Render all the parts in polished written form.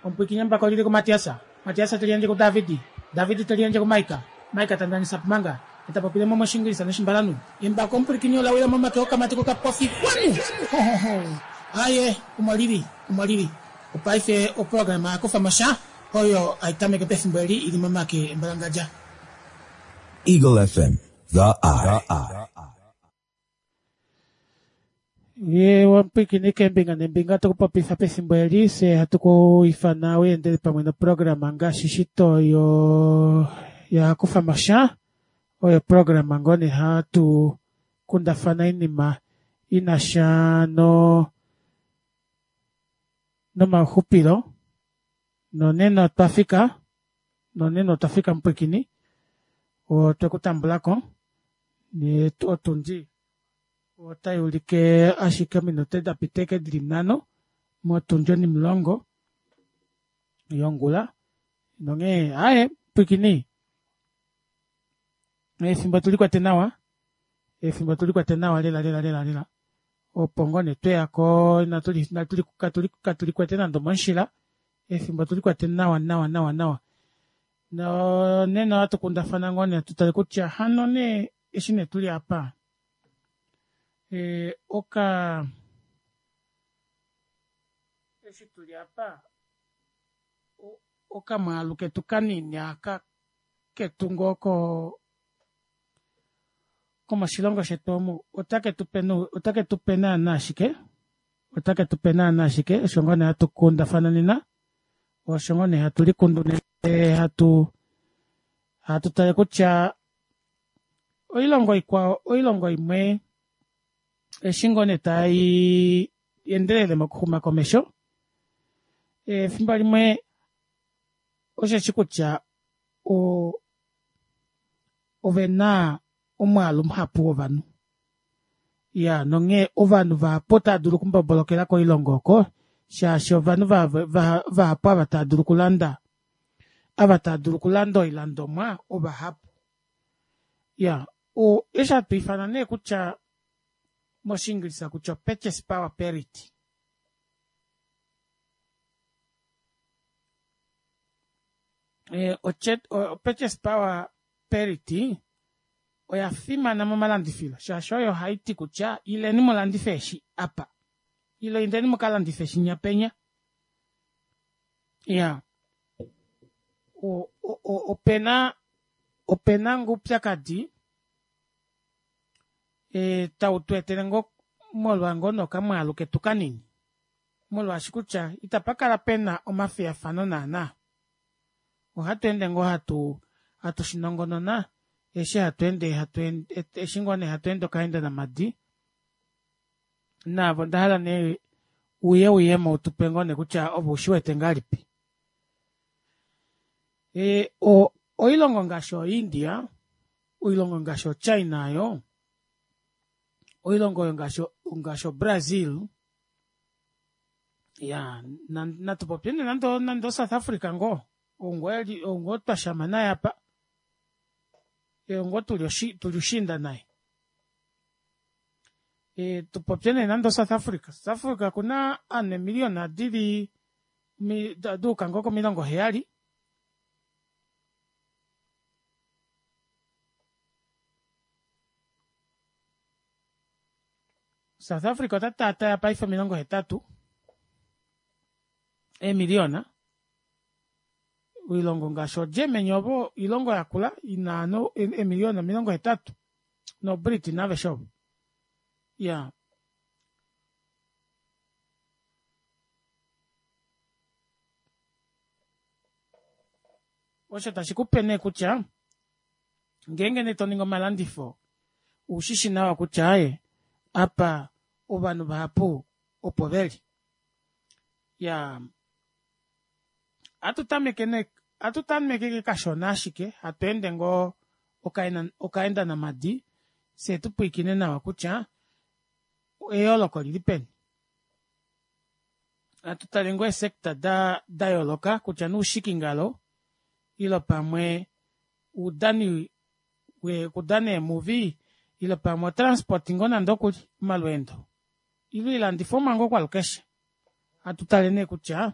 Omupwiikini embako lili kuMatias. Matias te liyandje kuDavid. David te liyandje kuMaika. Maika ta ndanisa Pumanga. Ye ta popile mo mOshiingilisa nOshimbalanhu. Embako omupwilikini ola wila momake okamati kokapofi. Xwanu! Ho ho ho! Aaye, omo lili, omo lili. Opaife oprograma ya kufa mo sha oyo hai tameke pefimbo eli i li momake embalangadja. Eagle FM, the eye. Ye wamupwiikini keembinga neembinga to ku popifa pefimbo eli fye hatu ku ifana u endele pamwe noprograma ngaashi shito yo ya kufa mo sha oyo programa ngoo nee hatu kundafana oinima i na sha no nomauxupilo nonena otwa fika nonena otwa fika mupwiikini otwe ku tambula ko otundi Otai ulike ashike ominute da pita eke dili nhano motundi onimulongo yongula nonghee aaye pwiikini efimbo tuli kwete nawa efimbo tuli kwete nawa lela lela lela lela opo ngoo nee tweyako katuli kwete nande omomushila efimbo tuli kwete nawa nawa nawa nawa nonena ohatu kundafana ngoo nee tutale kutya hano nee eshi nee tuli apa oka eshi tuli apa okamwaalu ketu kanini aka ketu ngoo ko komoshilongo shetu omu otake tu pe otake tu pe naana shike otake tu pe naana shike osho ngoo nee hatu kundafana nena osho ngoo nee hatu likundu nena hatu hatu tale kutya Oilongo ikwao, oilongo imwe eshi ngoo nee tai endelele mokuxuma komesho, efimbo limwe osheshi kutya ove na omwaalu muhapu wovanhu. Ya nonghee ovanhu vahapu otava dulu okumbobolokela koilongo oko shaashi ovanhu vahapu ava tava dulu okulanda ava tava dulu okulanda oilandomwa ovahapu. Ya, o, eshi hatu ifana nee kutya mOshiingilisa kutya purchase power parity. E, o, purchase power parity oya fimana momalandifilo shaashi oyo hai ti kutya ileni mu landife eshi apa ile indeni mu ka landife shinya penya. Ya, o, o, o, opena Ope na ngoo oupyakadi tau tu etele ngoo molwa ngoo nee okamwaalu ketu kanini, molwaashi kutya itapa kala pe na omafiyafano naana. Ohatu ende ngoo hatu hatu shi nongonona eshi hatu ende hatu eshi ngoo nee hatu ende okaenda namadi. Naave onda hala nee uye uyemo u tu pe ngoo nee kutya ove ushi wete ngahelipi. Oilongo ngaashi oIndia, oilongo ngaashi oChina oyo, oilongo oyo ngaashi ngaashi oBrazil, ya natu popye nee nande nande oSouth Africa ngoo, ou ngoo eli ou ngoo twa shama naye apa, ou ngoo tuli oshi tuli ushiinda naye. Tu popye nee nande oSouth Africa, South Africa okuna ovanhu eemiliyona dili duuka ngoo komilongo heyali. South Africa ota taataya paife 80 eemiliyona. Oilongo ngaashi oGermany ovo oilongo yakula ina ovanhu eemiliyona 80 noBritain aveshe ovo. Ya. Osho tashi ku pe nee kutya ngeenge nee to ningi omalandifo ou shi shi nawa kutya aaye apa ovanhu vahapu opo ve li. Ya atu tameke nee atu tameke ke kashona ashike hatu ende ngoo okaenda namadi fye tu pwiikine nawa kutya eyooloko oli li peni. Natu tale ngoo eesector da da yooloka kutya nee oushikingalo ile pamwe oudani okudana eemuvi ile pamwe otransport ngoo nande okuli omalweendo ile oilandifomwa ngoo kwalukeshe. Hatu tale nee kutya.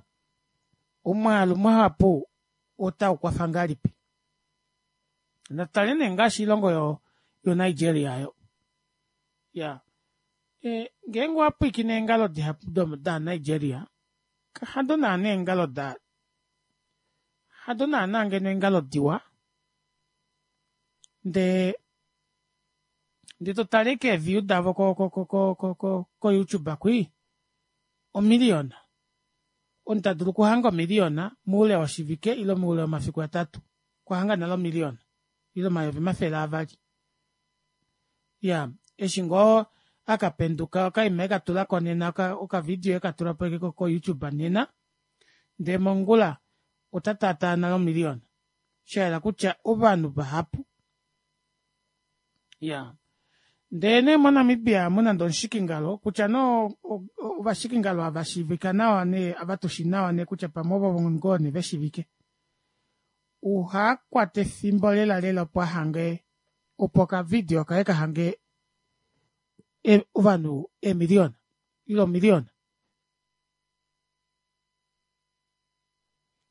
Omwaalu muhapu otau kwafa ngahelipi? Natu tale nee ngaashi oilongo yo yoNigeria yo. Ya e, ngeenge owa pwiikine eengalo dihapu daNigeria, hado naana eengalo da hado naana ngeno eengalo diwa ndee ndee totale keeview davo ko ko ko ko ko ko youtube kwii omiliyona omunhu tadulu okuhanga omiliyona moule woshivike ile moule womafiku atatu okwa hanga nale omiliyona ile 200 000 ya eshi ngoo akapenduka okaima ekatulako nena okavidio ekatulapo ko youtube nena ndee mongula ota taataa nale omiliyona shayela kutya ovanhu vahapu ya ndee nee moNamibia amu nande omushikingalo kutya nee ovashikingalo ava shiivika nawa nee ava tushi nawa nee kutya pamwe ovo ngoo nee veshivike uhakwata efimbo lela lela opo ahange opo okavidio kaye kahange ovanhu eemiliyona ile omiliyona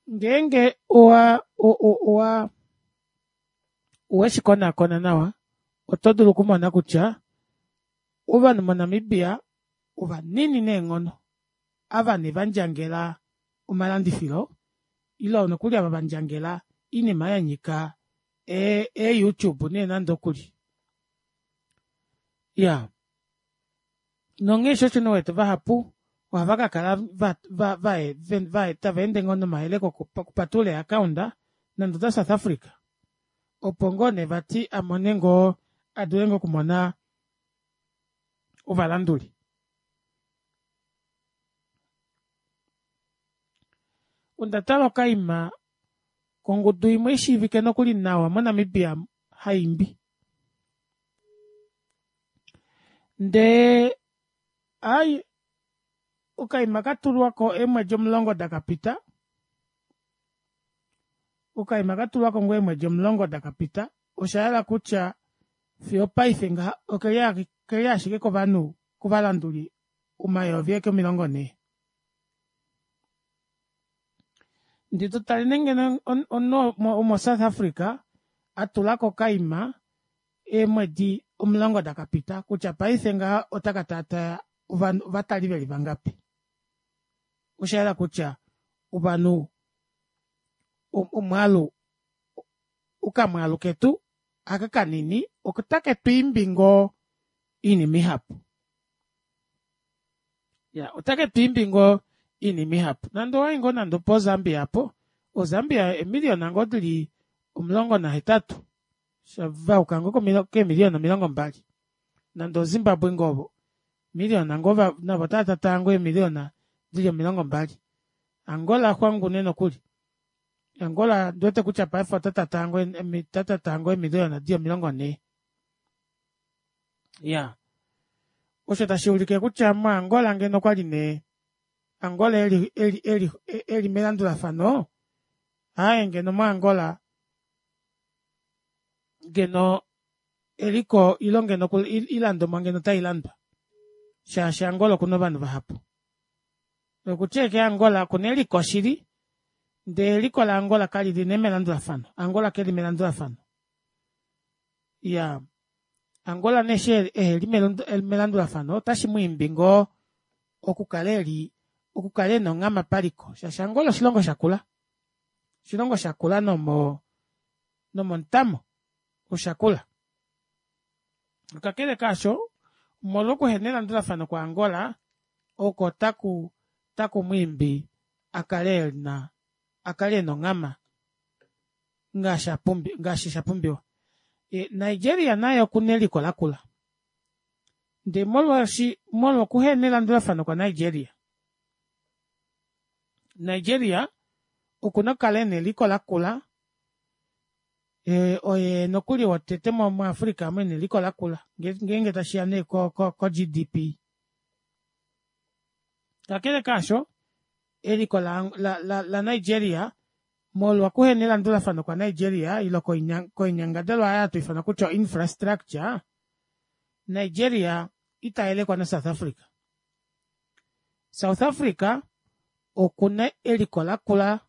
ngeenge owa owa oweshi konakona nawa oto dulu okumona kutya ovanhu moNamibia ovanini neenghono ava nee vandjangela omalandifilo ile nokuli ava vandjangela oinima yanyika e youtube nee nande okuli ya nonghee sho osho nee uwete vahapu ohava kakala tava ende ngoo nomayeleko okupatulula ee account nande oda South Africa opo ngoo nee vati amone ngoo adule ngoo okumona ovalanduli. Onda tala okaima kongudu imwe ishiivike nokuli nawa moNamibia haimbi ndee ai okaima katulwako eemwedi 10 dakapita okaima katulwako ngoo eemwedi 10 dakapita oshayela kutya fiyo opaife ngaha okeli ashike kovanhu kovalanduli 40000. Ndee totale nee ngeno omunhu womo South Africa atulako okaima eemwedi 10 dakapita kutya paife ngaha otaka taataya ovatali veli vangapi. Oshayela kutya ovanhu omwaalu okamwaalu ketu aka kanini otake twiimbi ngoo oinima ihapu. Ya otake twiimbi ngoo oinima ihapu. Nande owayi ngoo nande opo Zambia apo, oZambia eemiliyona ngoo dili 18 vayuka ngoo keemiliyona 20. Nande oZimbabwe ngoo miliyona ngoo navo otava tataa ngoo eemiliyona dili 20. Angola xwangu nee nokuli. Angola ndiwete kutya paife ota tataa ngoo eemiliyona dili 40. Ya osho tashi ulike kutya moAngola ngeno okwali nee Angola eli eli eli eli melandulafano aaye ngeno moAngola ngeno eliko ilo ngeno ilandomwa ngeno otailandwa shaashi Angola okuna ovanhu vahapu. Okutya eke Angola okuna eliko shili ndee eliko laAngola kalili nee melandulafano. Angola keli melandulafano. Ya Angola nee eshi eheli melandulafano otashi mwiimbi ngoo okukala eli okukala ena onghama paliko shaashi Angola oshilongo shakula. Oshilongo shakula nomo nomomutamo oshakula. Kakele kaasho omolwa okuhena elandulafano kwaAngola oko taku taku mwiimbi akale ena akale ena onghama ngaashi apumbi ngaashi shapumbiwa. Nigeria naye okuna eliko lakula. Ndee molwaashi molwa okuhena elandulafano kwa Nigeria Nigeria okuna okukala ena eliko lakula oye nokuli wotete muAfrica omu ena eliko lakula ngeenge tashiya nee ko GDP. Kakele kaasho eliko la Nigeria molwa okuhena elandulafano kwa Nigeria ile koinyangadalwa oyo hatu ifana kutya infrastructure Nigeria ita yelekwa na South Africa. South Africa Okuna eliko lakula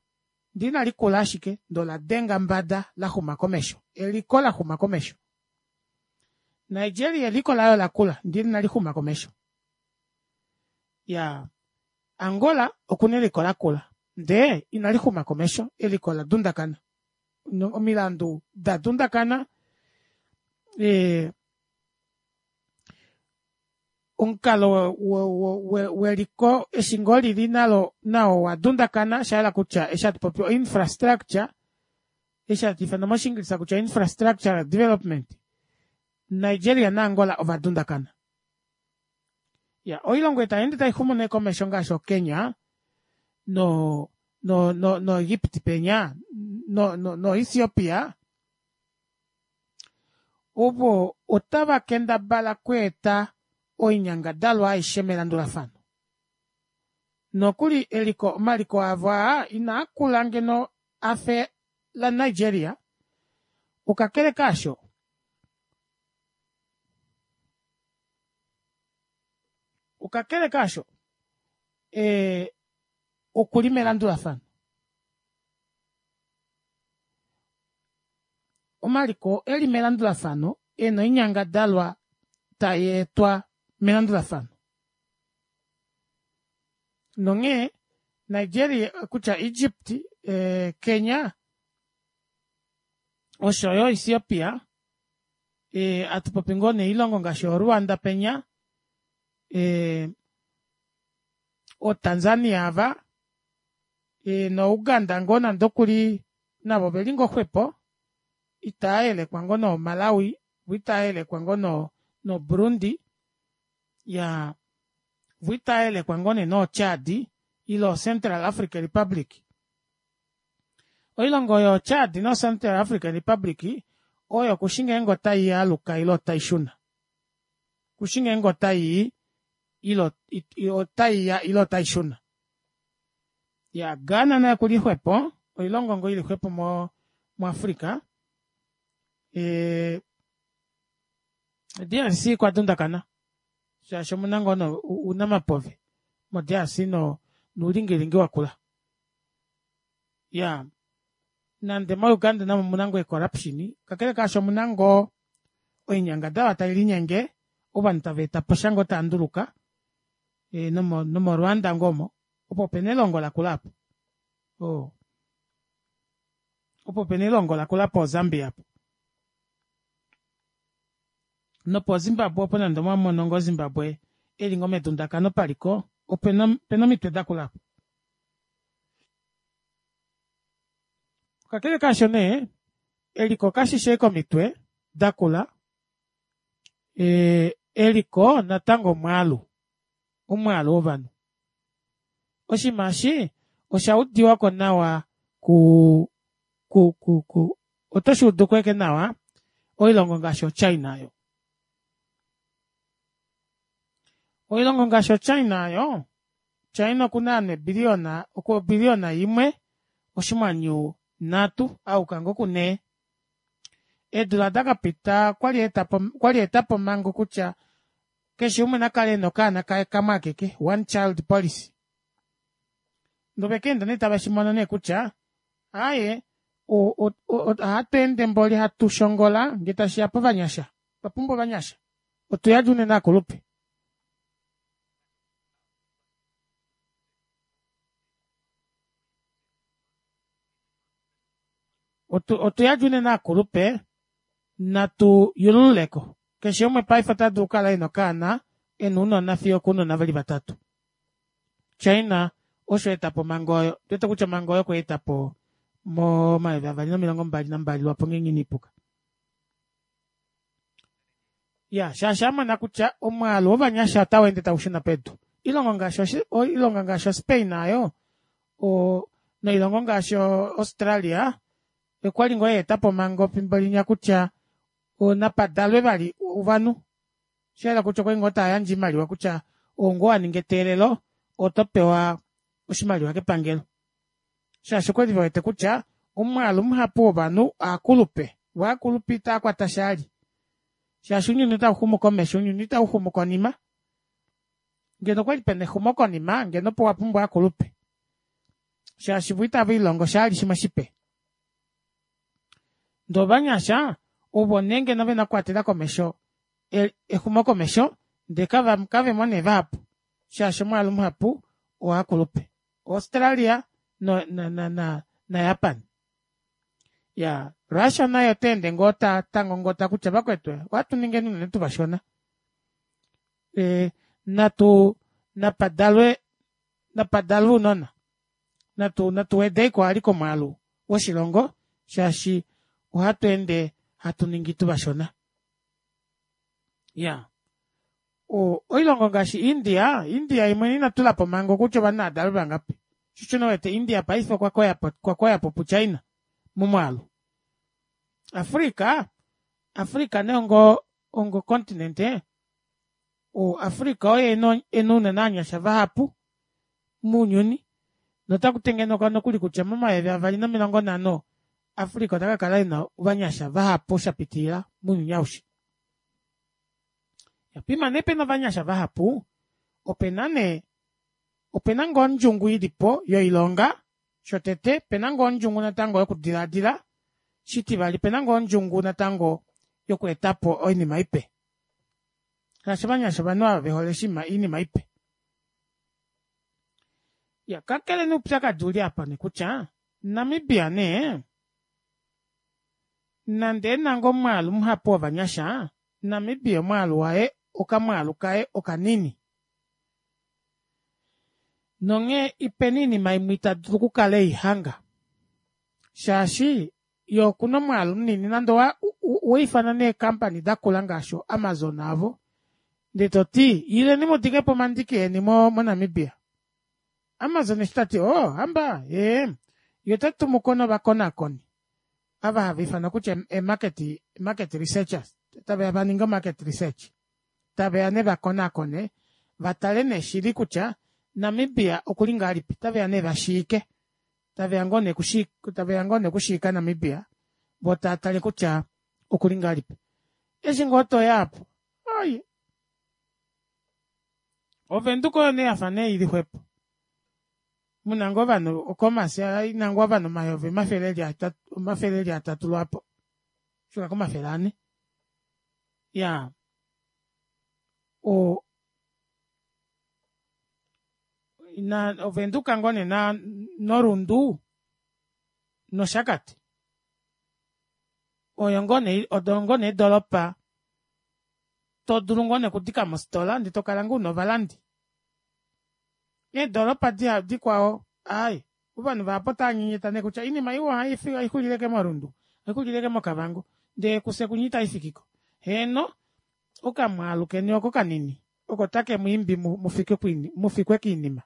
ndee inali kula ashike ndee ola denga mbada laxuma komesho eliko laxuma komesho. Nigeria eliko laye olakula ndee inalixuma komesho. Iyaa Angola okuna eliko lakula ndee inalixuma komesho eliko oladundakana omilandu dadundakana ee omukalo weliko eshi ngoo lili nalo nao owadundakana oshahala kutya eshi hatupopi o infrastructure eshi hatuufana moshingilisa kutya infrastructural development Nigeria na angola ovadundakana. Iyaa oilongo ei tayeende taixumu nee komesho ngaashi o kenya no no egypt penya no ethiopia ovo otava kendabala okweeta oinyangadalwa aishe melandulafano nokuli eliko omaliko avo aa inaakula ngeno afe la nigeria kakele kaasho kakele kaasho ee okuli melandulafano Omaliko eli melandulafano ena oinyangadalwa tayeetwa melandulafano. Nonghee Nigeria kutya Egypt Kenya oshoyo Ethiopia atupopi ngoo nee oilongo ngaashi oo Rwanda penya oo Tanzania aava no uganda ngoo nande okuli navo oveli ngoo xwepo itaayelekwa ngoo no malawi voo itavayelekwa ngoo no burundi iyaa voo itavayelekwa ngoo nee noo chad ile o central africa republic. Oilongo oyo yoo chad no central africa republic oyo kushi ngeenge otaialuka ile otaishuna kushi ngeenge otaii ile otaiya ile otaishuna. Iyaa ghana naye okuli xwepo oilongo ngoo ili xwepo mu africa ee drc okwa dundakana shaashi omuna ngoo nee ounamapove mo drc noulingilingi wakula iyaa nande mo uganda namo omuna ngoo ee corruption kakele kaasho omuna ngoo oinyangadalwa tailinyenge ovanhu taveetaposha ngoo taanduluka nomo rwanda ngoo omo opo pena elongo lakula aapo oo opo pena elongo lakula poo zambia aapo nopo zimbabwe opo nande omwamono ngoo zimbabwe eli ngoo medundakano paliko opena omitwe dakula aapo. Kakele kaasho nee eliko kashishi ashike omitwe dakula eliko natango omwaalu omwaalu wovanhu oshinima eshi osha udiwako nawa ku ku ku oto shuuduko ashike nawa oilongo ngaashi o china aayo oilongo ngaashi o china aayo china okuna ovanhu eebilliona obilliona imwe oshinghwanyu nhatu ayuka ngoo ku nhee eedula dakapita okwali aetapo omhango kutya keshe umwe nakale ena okaana kaye kamwe akeke one child policy ndee ovekeenda nee taveshimono nee kutya aaye ohatweende mboli hatu shongola ngee tashiya povanyasha otwapumbwa ovanyasha otuyadi unene aakulupe. Otuyadi unene aakulupe natu yulululeko keshe umwe paife otadulu okukala ena okaana ena ounona fiyo okounona veli vatatu. China osho aetapo omhango oyo ondiwete kutya omhango oyo okweetapo mo 2022 lwaapo ngeenge inaipuka. Iyaa shaashi amona kutya omwaalu wovanyasha otaweende taushuna pedu. Oilongo ngaashi oilongo ngaashi o spain aayo noilongo ngaashi o australia okwali ngoo yaetapo omhango efimbo linya kutya napadalwe vali ovanhu shayela kutya okwali ngoo tayandje oimaliwa kutya ou ngoo waninga eteelelo oto pewa oshimaliwa kepangelo shaashi okwali vewete kutya omwaalu muhapu wovanhu oakulupe voo ovakulupe itaakwata shali shaashi ounyuni otauxumu komesho ounyuni itauxumu konima ngeno okwali pena exumokonima ngeno opo wapumbwa ovakulupe. Shaashi vo itave lilongo sha vali shimwe shipe. Ndee ovanyasha ovo nee ngeno vena okukwatela komesho exumokomesho ndee kavemo nee vahapu shaashi omwaalu muhapu owovakulupe. Australia naJapan. Iyaa Russia naye otaende ngoo tangongota kutya vakwetu ohatu ningeni unene tuvashona natu napadalwe napadalwe ounona natu natu wedeiko vali komwaalu woshilongo shaashi ohatu ende hatu ningi tuvashona. Iyaa oilongo ngaashi India, India yemwene ina tulapo omhango kutya ovanhu nava dalwe vangapi shoo osho nee uwete India paife okwa koyapo pu China momwaalu. Africa, Africa nee ongo ongo continent Africa oye ena unene ovanyasha vahapu mounyuni nota kutengenekwa nokuli kutya momayovi avali nomilongo nanho Africa ota kakala ena ovanyasha vahapu shapitilila mounyuni aushe. Poima nee pena ovanyasha vahapu opena nee opena ngoo ondjungu ilipo yoilonga shotete opena ngoo ondjungu natango yokudilaadila shitivali opena ngoo ondjungu natango yokweetapo oinima ipe shaashi ovanyasha ovanhu ava vehole oinima ipe. Iyaa kakele nee oupyakadi ouli aapa nee kutya Namibia nee nande ena ngoo omwaalu muhapu wovanyasha Namibia omwaalu waye okamwaalu kaye okanini nonghee opena oinima imwe ita dulu okukala eihanga shaashi yee okuna omwaalu munini nande owaifana nee eecompany dakula ngaashi o amazon aavo ndee toti ileni mudikepo omandiki eni mo namibia Amazon eshi tati oo hamba ee yee otatumuko novakonaakoni ava hava ifanwa kutya ee market market researchers taveya vaninge o market research taveya nee vakonaakone vatale nee shili kutya Namibia okuli ngahelipi otaveya nee vashiike taveya ngoo nee taveya ngoo nee okushiika Namibia voo taatale kutya okuli ngahelipi eshi ngoo toya aapo oi Ovenduka oyo nee yafa nee ili xwepo muna ngoo ovanhu oCommerce ina ngoo ovanhu omayovi omafele eli atatu omafele eli atatu lwaapo fika komafele anhe iyaa o ina ovenduka ngoo nee noRundu nOshakati oyo ngoo nee odo ngoo nee eedoropa todulu ngoo nee okudika mofitola ndee tokala ngoo una ovalandi. Eedoropa dikwao aaye ovanhu vahapu otava nyenyeta nee kutya oinima iwa ohaixulile ashike moRundu ohaixulile ashike moKavango ndee kufye kunya itaifikiko. Heeno okamwaalu keni oko kanini oko take mwiimbi mufikwe koinima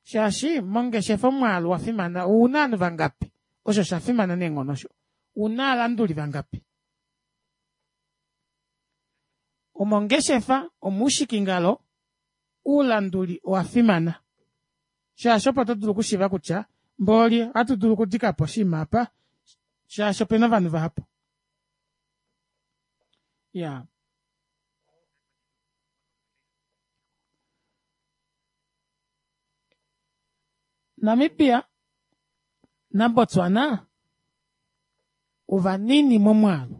shaashi mongeshefa omwaalu owafimana ouna ovanhu vangapi osho oshafimana neenghono osho ouna ovalanduli vangapi. Omongeshefa omuushikingalo oulanduli owafimana shaashi opo to dulu okushiiva kutya mboli ohatu dulu okudikapo oshinima apa shaashi opena ovanhu vahapu. Iyaa. Namibia naBotswana ovanini momwaalu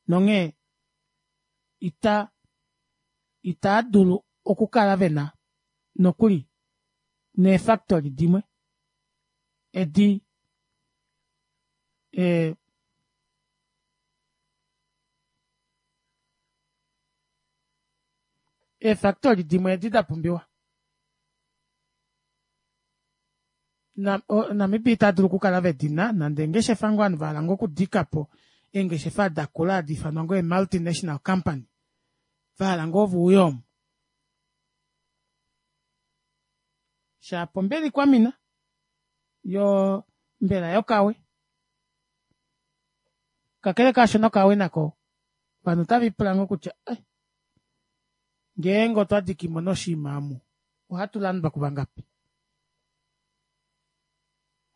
nonghee ita itaa dulu okukala vena nokuli neefactory dimwe edi ee eefactory dimwe edi da pumbiwa. Namibia ita dulu okukala vedina nande eengeshefa ngoo ovanhu vahala ngoo okudikapo eengeshefa dakula hadi ifanwa ngoo ee multinational company vahala ngoo veuye omu shapo mbela ikwamina yoo mbela yokawe kakele kaasho nokawe nako ovanhu otave lipula ngoo kutya eh ngeenge otwa dikimo nee oshinima omu ohatu landwa kuvangapi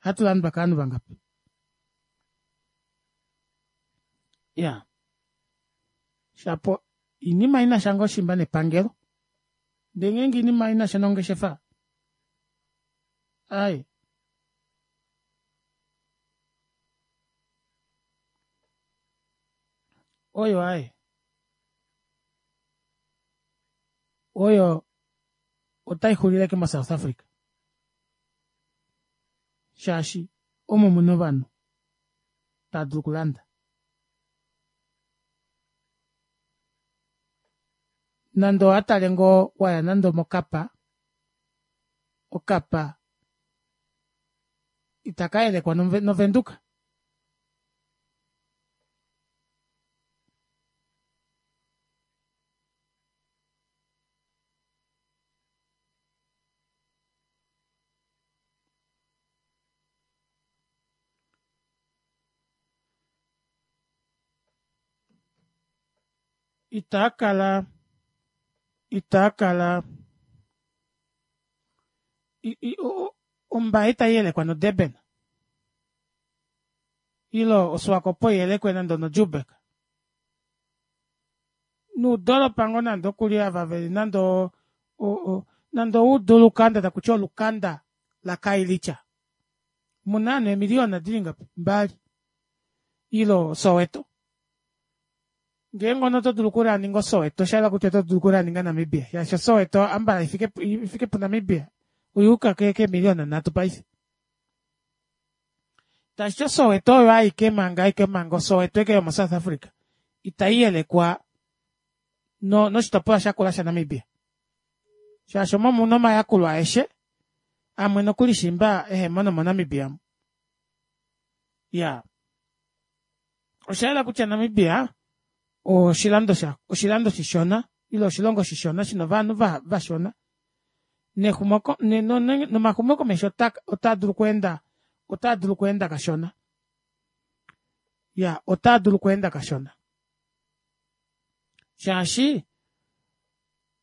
ohatu landwa kovanhu vangapi iyaa shapo oinima inasha ngoo shimba nepangelo ndee ngeenge oinima inasha nongeshefa. Ai. Oyo ai. Oyo otai xulile ke moSouth Africa. Shaashi omo muna ovanhu tava dulu okulanda. Nande owa tale ngoo waya nande omokapa, okapa itaka yelekwa noVenduka. Itaa kala itaa kala Ombaye itai yelekwa noDurban ile oSwakopo iyelekwe nande onoJoburg. Nuudolopa ngoo nande okuli ava veli nande nande oudu olukanda takuti olukanda laKailicha muna ovanhu eemiliyona dili ngapi mbali ile oSoweto. Ngeenge omunhu oto dulu okulaninga oSoweto oshayela kutya oto dulu okulaninga Namibia shaashi oSoweto ambala ifike puNamibia oyuuka keemiliyona nhatu paife. Tashiti oSoweto oyo aike manga aike manga oSoweto aike yomoSouth Africa itai yelekwa no noshitopolwa shakula shaNamibia shaashi omo muna omayakulo aeshe amwe nokuli shimba ehemo nomoNamibia mu. Iyaa osha yela kutya Namibia oshilando sha oshilando shishona ile oshilongo shishona shina ovanhu vashona nexumoko nomaxumokomesho otaa dulu okweenda otaa dulu okweenda kashona ya otaa dulu okweenda kashona shaashi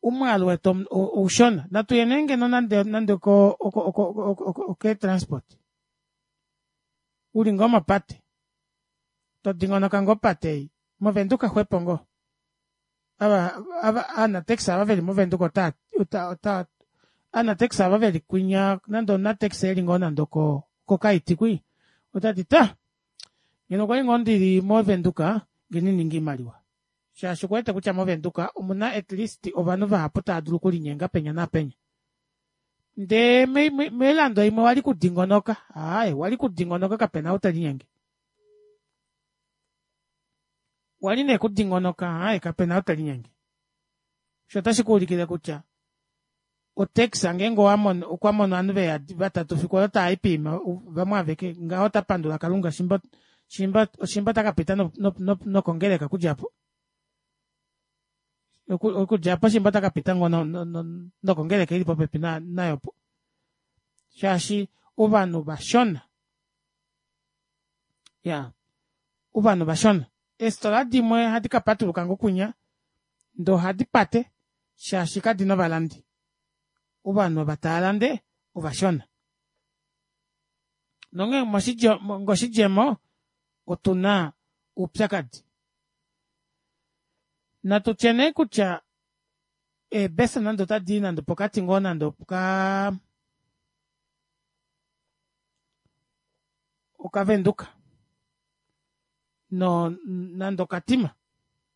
omwaalu wetu oushona natu ye nee ngeno nande nande oko oko oko oko oketransport uli ngoo mopate to dingonoka ngoo opate ei movenduka xwepo ngoo ava ava aanataxi ava veli movenduka ota ota ota aanataxi ava veli kwinya nande omunataxi eli ngoo nande oko kokaiti kwi otati ta ngeno okwali ngoo ndili movenduka ngeno ininga iimaliwa shaashi okuwete kutya movenduka omuna at least ovanhu vahapu tava dulu okulinyenga penya naapenya ndee moilando imwe wali kudingonoka aaye wali kudingonoka kapena ou telinyenge wali nee kudingonoka aaye kapena ou telinyenge sho otashi kuulikile kutya otax ngeenge owamono okwa mono ovanhu veyadi vatatu fiku olo tava i piima vamwe aveke ngaho ota pandula kalunga shimba shimba shimba ota ka pita nokongeleka okudja apo okudja apo shimba ota ka pita ngoo nokongeleka ili popepi nayo po shaashi ovanhu vashona ya ovanhu vashona eestola dimwe ohadi ka patuluka ngoo kunya ndee ohadi pate shaashi kadina ovalandi ovanhu ava tava lande ovashona nonghee ngoshidjemo otuna oupyakadi natu tye nee kutya eebesa nande otadi i nande opokati ngoo nande oka okavenduka no nande okatima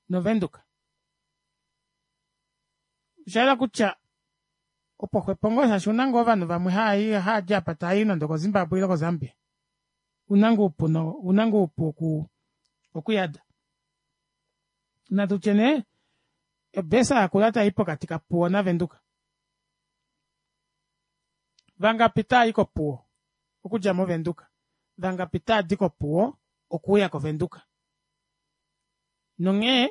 novenduka osha yela kutya opo xwepo ngoo shaashi una ngoo ovanhu vamwe haai haadi apa taai nande okozimbabwe ile kozambia una ngoo oupu no una ngoo oupu oku okuyada natu tye nee obesa yakula tai pokati kapuwo navenduka vangapi taa i kopuwo okudja movenduka vangapi taa di kopuwo okuuya kovenduka Nonghee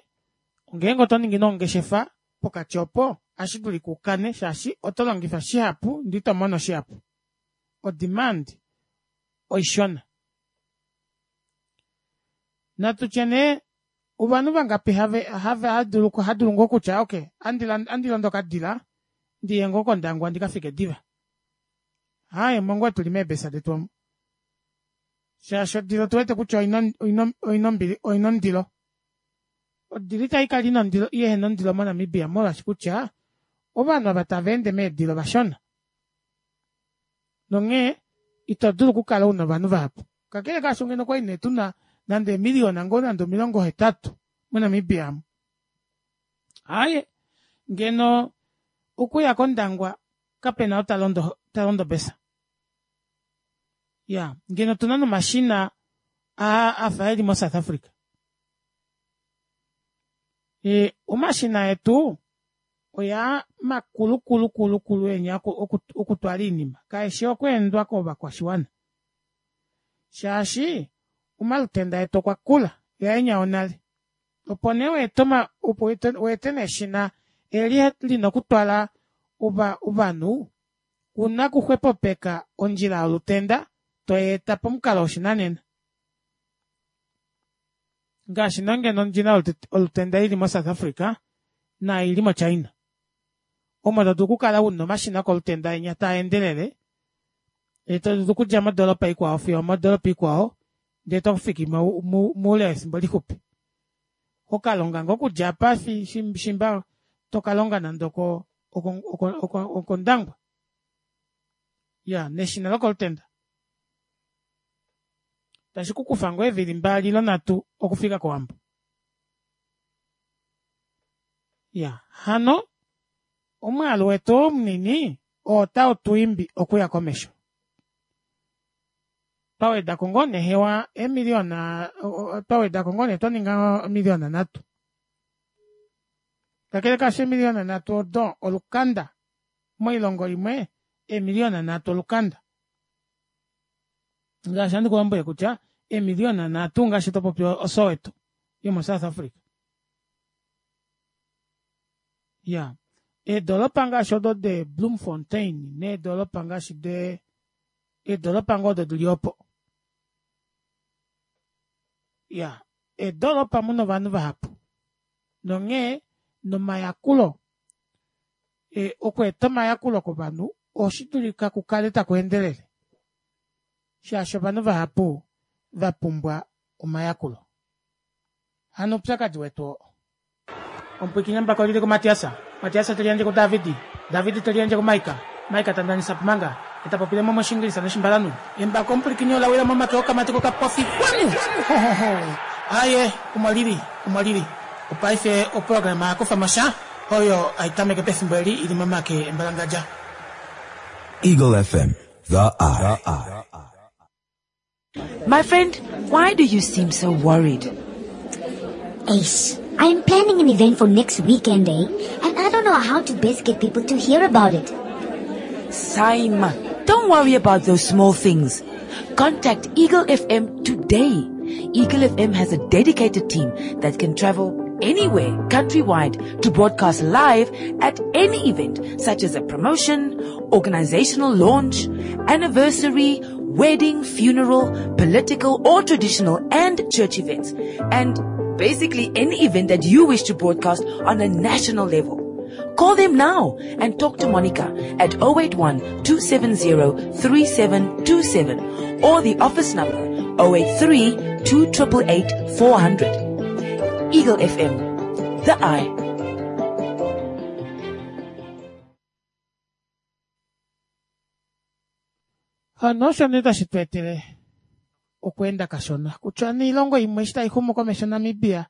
ngeenge oto ningi nongeshefa pokati opo, ohashi dulika u kane shaashi oto longifa shihapu ndee ito mono shihapu. O-demand oishona. Natu tye nee ovanhu vangapi have hava dulu ha dulu ngoo kutya okay andi londo okadila ndi ye ngoo kOndangwa ndi ka fike diva. Aaye omo ngoo tuli meebesa detu omu. Shaashi odila otu wete kutya oina ombili oina ondilo. Odila itai kala ina ondilo yehena ondilo moNamibia molwaashi kutya ovanhu ava tava ende meedila ovashona. Nonghee ito dulu okukala una ovanhu vahapu. Kakele kaasho ngeno okwali nee tuna nande eemiliyona ngoo nande 80 moNamibia amu. Aaye, ngeno okuya kOndangwa kapena ou talondo talondo obesa. Ya, ngeno otuna nomashina aa afa eli moSouth Africa. E, omashina etu oyaa makulu kulu kulu kulu enya okutwala oinima kaeshi okweendwa kovakwashiwana shaashi omalutenda etu okwa kula yaenya onale opo nee weete opo weete nee eshina eli lina okutwala ovanhu una okuxwepopeka ondjila yolutenda toyeeta pomukalo woshinanena Ngaashi nee ngeno ondjila yolutenda ili moSouth Africa naai ili moChina, omo to dulu okukala una omashina okolutenda enya taa endelele, ndee to dulu okudja modoolopa ikwao fiyo omodoolopa ikwao ndee to fiki moule wefimbo lixupi. Ho ka longa ngoo okudja apa shimba to ka longa nande okOndangwa. Ya, neshina lokolutenda. Tashi ku kufa ngoo eevili mbali ile nhatu okufika kOwambo. Ya, hano omwaalu wetu oo munini oo otau tu imbi okuya komesho. Twa weda ko ngoo nee hewa eemiliyona, twa weda ko ngoo nee twa ninga omiliyona nhatu. Kakele kaasho eemiliyona nhatu odo olukanda. Moilongo imwe eemiliyona nhatu olukanda. Ngaashi handi ku lombwele kutya eemiliyona nhatu ngaashi to popi oSoweto yomoSouth Africa. Ya, eedolopa ngaashi odo de Bloemfontein needolopa ngaashi de eedolopa ngoo odo dili opo. Ya, eedolopa muna ovanhu vahapu. Nonghee nomayakulo e, okweeta omayakulo kovanhu oshi dulika ku kale taku endelele shaashi ovanhu vahapu va pumbwa omayakulo. Hano oupyakadi wetu oo. Omupwiikini embako oli li kuMatias, Matias te liyandje kuDavid, David te liyandje kuMaika, Maika ta ndanisa Pumanga, ye ta popile mo mOshiingilisa nOshimbalanhu. Embako omupwilikini ola wila momake okamati kokapofi. Wanu! Ho, ho, ho! Aaye, omo li li, omo li li. Opaife oprograma ya kufa mo sha, oyo hai tameke pefimbo eli i li momake embalangadja. Eagle FM, the eye. My friend, why do you seem so worried? Ace, I am planning an event for next weekend, eh? And I don't know how to best get people to hear about it. Saima, don't worry about those small things. Contact Eagle FM today. Eagle FM has a dedicated team that can travel anywhere countrywide to broadcast live at any event such as a promotion, organizational launch, anniversary, wedding, funeral, political or traditional and church events. And basically any event that you wish to broadcast on a national level. Call them now and talk to Monica at 081 270 3727 or the office number 083 2888 400. Eagle FM, the eye. Hano osho nee tashi tu etele okweenda kashona kutya niilongo imwe eshi tai xumu komesho Namibia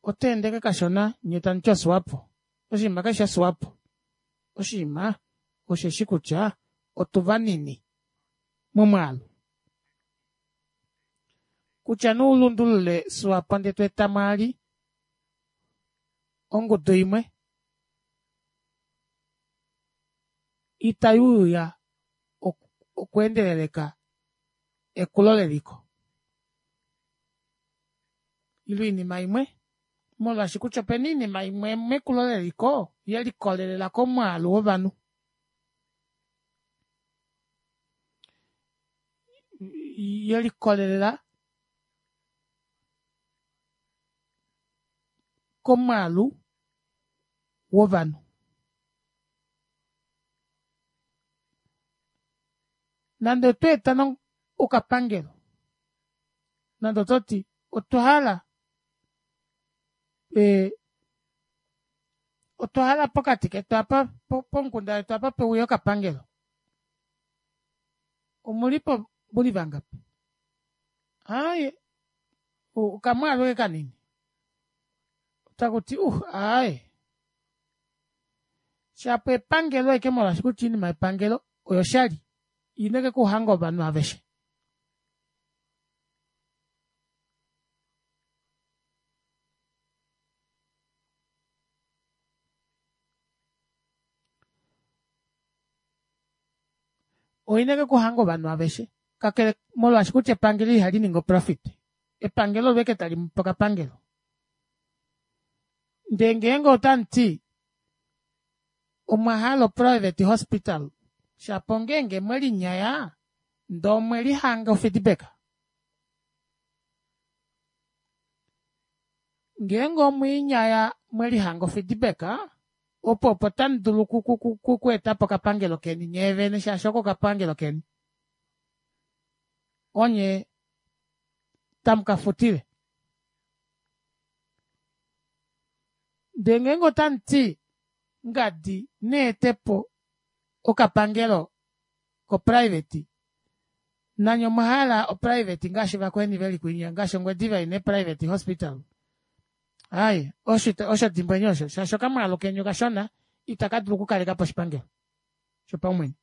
ota endeke kashona nye tamu ti oSwapo. Oshinima kashi shi Swapo. Oshinima osheshi kutya otu vanini momwaalu. Kutya nee u lundulule Swapo ndee to eta mwaali ongudu imwe itai uya okweendeleleka ekulo leliko ile oinima imwe molwaashi kutya opena oinima imwe mekulo leliko ye likolelela komwaalu wovanhu. Ye likolelela komwaalu wovanhu. Nande otwa eta okapangelo, nande oto ti otwa hala e, otwa hala pokati ketu apa pomukunda wetu apa pe uye okapangelo. Omulipo muli vangapi? Aaye okamwaalu eke kanini. Taku ti uh aaye. Shapo epangelo eke molwaashi kutya oinima yepangelo oyoshali ina eke kuhanga ovanhu aveshe. Oina eke kuhanga ovanhu aveshe kakele molwaashi kutya epangelo ihali ningi oprofit epangelo olo eke tali mupe okapangelo ndee ngeenge otamu ti omwa hala oprivate hospital shapo ngeenge mwelinyaya ndee omwe lihanga ofeedback ngeenge omwiinyaya mwelihanga ofeedback opo opo tamu dulu okweetapo okapangelo keni nyee vene shaashi oko okapangelo keni onye tamu ka futile ndee ngeenge otamu ti ngadi neetepo okapangelo koprivate nanye omwa hala oprivate ngaashi vakweni veli kwinya ngaashi Ongwediva ina private hospital ai osho osho dimbweni osho shaashi okamwaalu keni okashona itaka dulu okukaleka po oshipangelo shopaumwene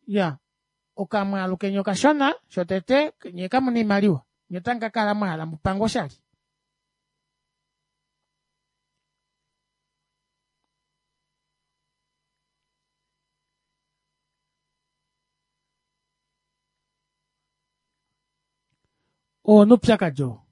ya okamwaalu keni okashona shotete nyee kamuna oimaliwa nyee otamu ka kala mwahala mupangwe oshali oo noupyakadi oo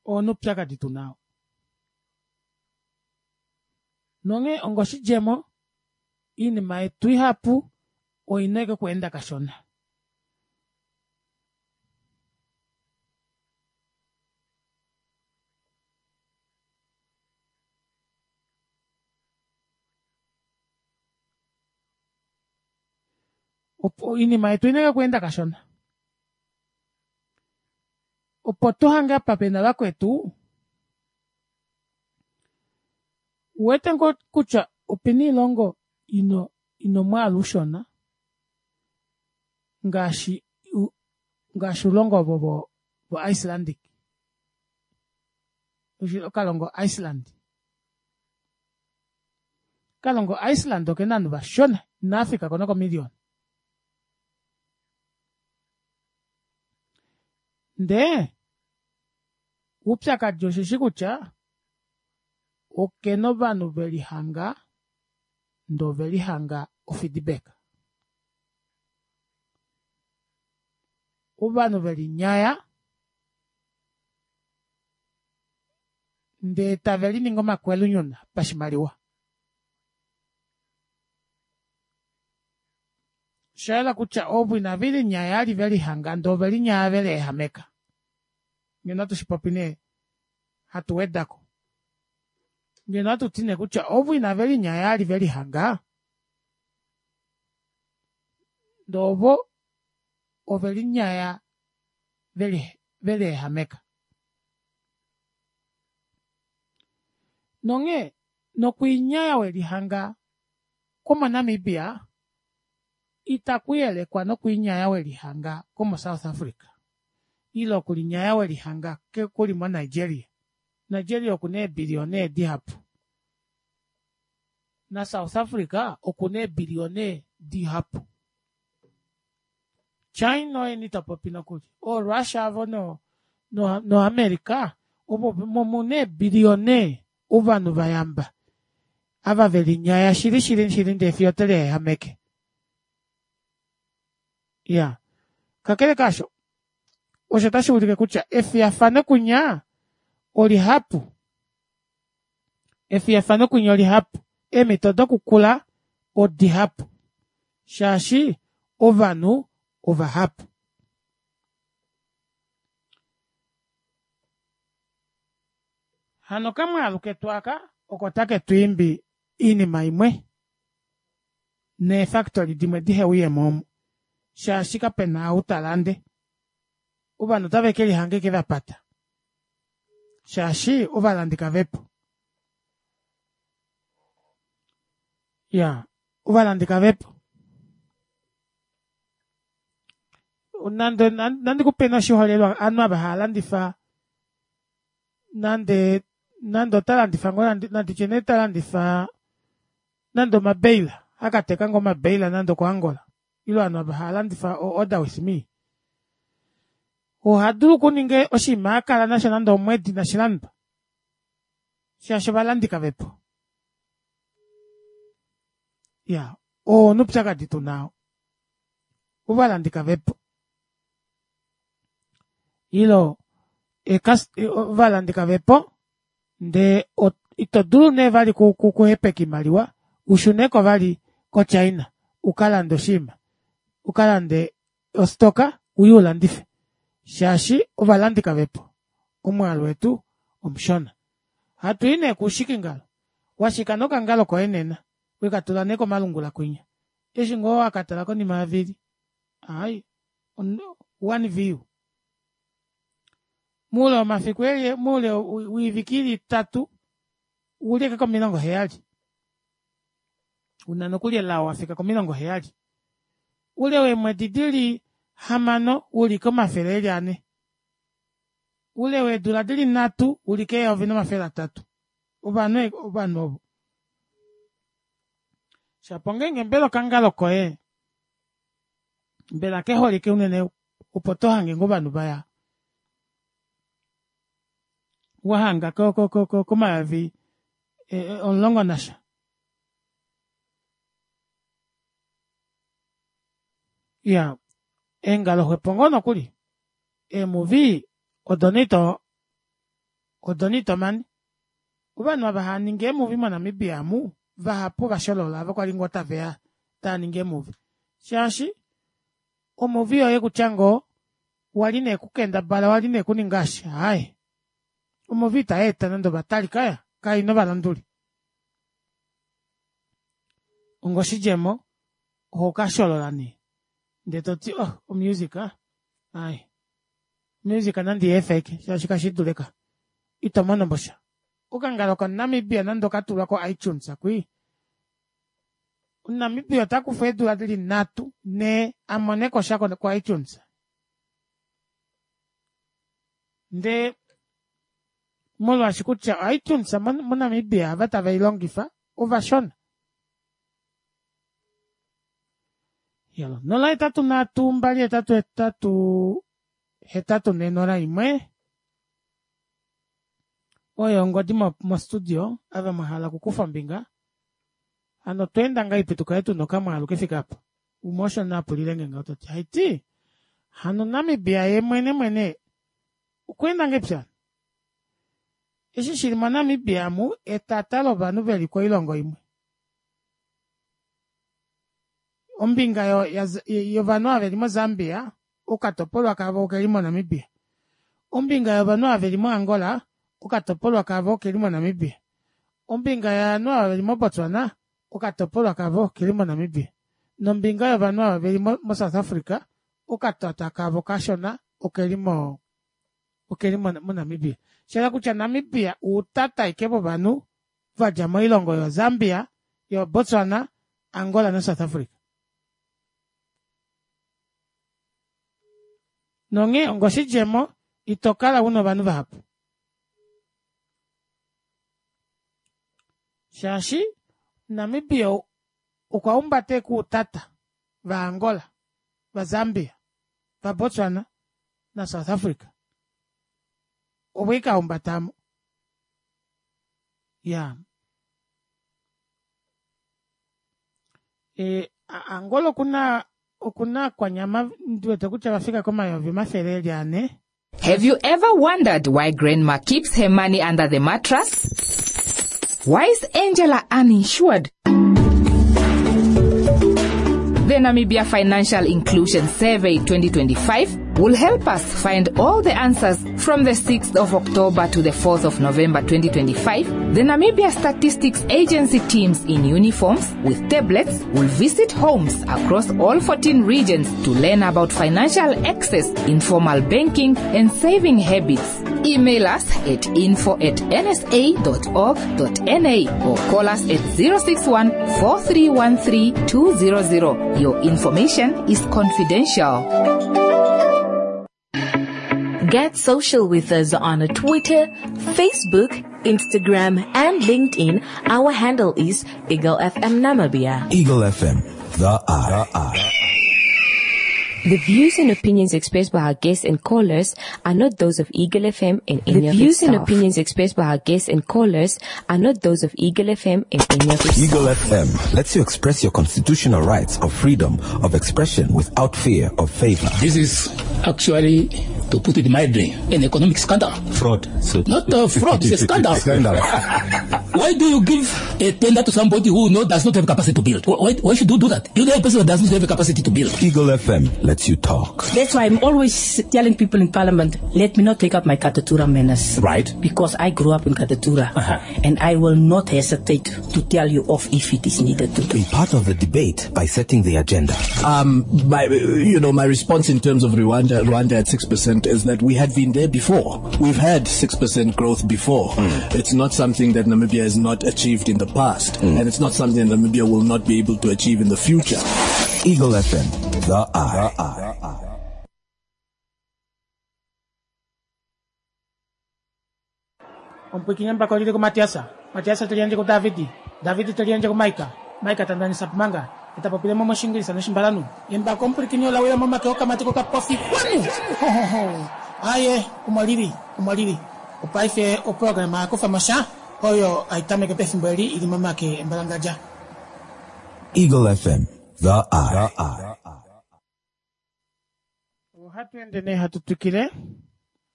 oo noupyakadi tu nao nonghee ongoshidjemo iinima yetu ihapu oina eke okweenda kashona. Opo oinima yetu oina eke okweenda kashona. Opo tuhange apa pena vakwetu uwete ngoo kutya opena oilongo ina omwaalu ushona ngaashi ngaashi oulongo ovo vo Icelandic okalongo Iceland okalongo Iceland okena ovanhu vashona inaafikako nokomillion ndee oupyakadi osheshi kutya okena ovanhu velihanga ndee ovelihanga ofeedback ovanhu velinyaya ndee tave liningi omakwelunyuna pashimaliwa. Oshayela kutya ovo inave linyaya ali velihanga ndee ovelinyaya veleehameka. Ngeno ohatu shipopi nee hatu wedako. Ngeno ohatu ti nee kutya ovo inave linyaya ali velihanga ndee ovo ovelinyaya veleehameka. Nonghee nokwiinyaya welihanga kwomoNamibia itaku yelekwa nokwiinyaya welihanga kwomoSouth Africa ile okulinyaya welihanga kuli moNigeria. Nigeria okuna eebiliyona dihapu naSouth Africa okuna eebiliyona dihapu. China oye nitopopi nokuli ooRussia avo no no America ovo muna eebiliyona ovanhu vayamba ava velinyaya shili shili shili ndee fiyo oteleehameke. Iya kakele kaasho osho otashi ulike kutya efiyafano kunya olihapu efiyafano kunya olihapu eemhito dokukula odihapu shaashi ovanhu ovahapu. Hano okamwaalu ketu aka oko take twiimbi Oinima imwe neefactory dimwe dihe uyemo omu shaashi kapena ou ta lande. Ovanhu otave ke lihanga eke vapata shaashi ovalandi kavepo. Ya, ovalandi kavepo. Nande nandi kupe oshiholelwa ovanhu ava hava landifa nande nande ota landifa ngoo nanditye nee ta landifa nande omabeila akateka ngoo omabeila nande okoAngola ile ovanhu ava hava landifa o order with me oha dulu okuninga oshinima akala nasho nande omwedi inashi landwa shaashi ovalandi kavepo ya oo oupyakadi tuna ovalandi kavepo ilo ovalandi kavepo ndee ito dulu nee vali kuhepeka oimaliwa ushuneko vali koChina ukalande oshinima ukalande ostoka uye ulandife shaashi ovalandi kavepo omwaalu wetu omushona. Hatui nee kuushikingalo washika nokangalo koye nena wekatula nee komalungula kwinya eshi ngoo wakatala konima yovili ai one view muule womafiku eli muule woivike ili itatu uli eke komilongo heyali una nokuli elao wafika komilongo heyali ule weemwedi dili hamano uli komafele eli ane ule weedula dili nhatu uli keyovi nomafele atatu ovanhu ovanhu ovo shapo ngeenge mbela okangalo koye mbela keholike unene opo tohange ngoo ovanhu vaya wahanga komayovi omulongo nasha iya eengalo xwepo ngoo nokuli eemuvi odo nee ito odo nee ito mane ovanhu ava hava ningi eemuvi moNamibia amu vahapu ovasholola ava kwali ngoo taveya tava ningi eemuvi shaashi omuvi yoye kutya ngoo wali nee kukendabala wali nee kuninga eshi aaye omuvi itayeeta nande ovatali kaya kaina ovalanduli onga oshidjemo ohokasholola nee ndee toti oh omusic aaye music nandi yeefe ashike shaashi kashidulika ito mono mosha okangalo koNamibia nande okatulwa ko iTunes kwii omuNamibia otakufa eedula dili nhatu nhee amoneko sha ko iTunes ndee molwaashi kutya iTunes moNamibia ava tave ilongifa ovashona yalo 083 288 8401 oyo ongodi mostudio ava mwahala okukufa ombinga hano otweenda ngahelipi tukale tuna okamwaalu kefike apa umwe osho nee apulilenge ngaho tati haiti hano Namibia ye mwene mwene okweenda ngahelipi hano eshi shili moNamibia amu etata lovanhu veli koilongo imwe ombinga yovanhu ava veli moZambia okatopolwa kavo okeli moNamibia ombinga yovanhu ava veli moAngola okatopolwa kavo okeli moNamibia ombinga yovanhu ava veli moBotswana okatopolwa kavo okeli moNamibia nombinga yovanhu ava veli moSouth Africa okatata kavo kashona okeli mo okeli moNamibia shayela kutya Namibia uutata ashike vovanhu vadja moilongo yoZambia yoBotswana Angola noSouth Africa nonghee ongoshidjemo ito kala una ovanhu vahapu shaashi Namibia okwa humbata ekuutata vaAngola vaZambia vaBotswana naSouth Africa ovo ike ahumbatamo ya e, Angola okuna okuna kwanyama ndiwete kutya vafika komayovi omafele eli ane Have you ever wondered why grandma keeps her money under the mattress? Why is Angela uninsured? The Namibia Financial Inclusion Survey 2025 will help us find all the answers from the 6th of October to the 4th of November 2025. The Namibia Statistics Agency teams in uniforms with tablets will visit homes across all 14 regions to learn about financial access, informal banking, and saving habits. Email us at info at nsa.org.na or call us at 061 4313 200. Your information is confidential. Get social with us on Twitter, Facebook, Instagram, and LinkedIn. Our handle is Eagle FM Namibia. Eagle FM, the eye. The views and opinions expressed by our guests and callers are not those of Eagle FM and any The of views its and staff. opinions expressed by our guests and callers are not those of Eagle FM and any of its Eagle FM lets you express your constitutional rights of freedom of expression without fear of favor. This is actually, to put it mildly, an economic scandal. Fraud. So Not a fraud, it's a scandal. Scandal. Why do you give a tender to somebody who does not have capacity to build? Why should you do that? You know a person who does not have a capacity to build. Eagle FM lets you talk. That's why I'm always telling people in Parliament, let me not take up my Katutura manners. Right. Because I grew up in Katutura. And I will not hesitate to tell you off if it is needed to. Be part of the debate by setting the agenda. My response in terms of Rwanda at 6% is that we had been there before. We've had 6% growth before. It's not something that Namibia has not achieved in the past, and it's not something that Namibia will not be able to achieve in the future. Eagle FM, the eye. Omupwikinye mbaka olili ku Matiasa, Matiasa teliandje ku Davidi, Davidi teliandje ku Maika, Maika tandanisa pumanga, etapopile mo moshingilisa noshimbalanu. Embako omupwikinye olawila momake okamatiko kapofi kwanu. Ho, ho, ho. Aye, omwalili, omwalili. Opaife oprograma yakufa mosha, oyo aitameke pefimbo eli ili momake embalangadja. Eagle FM, the eye. Ohatu ende nee hatu twikile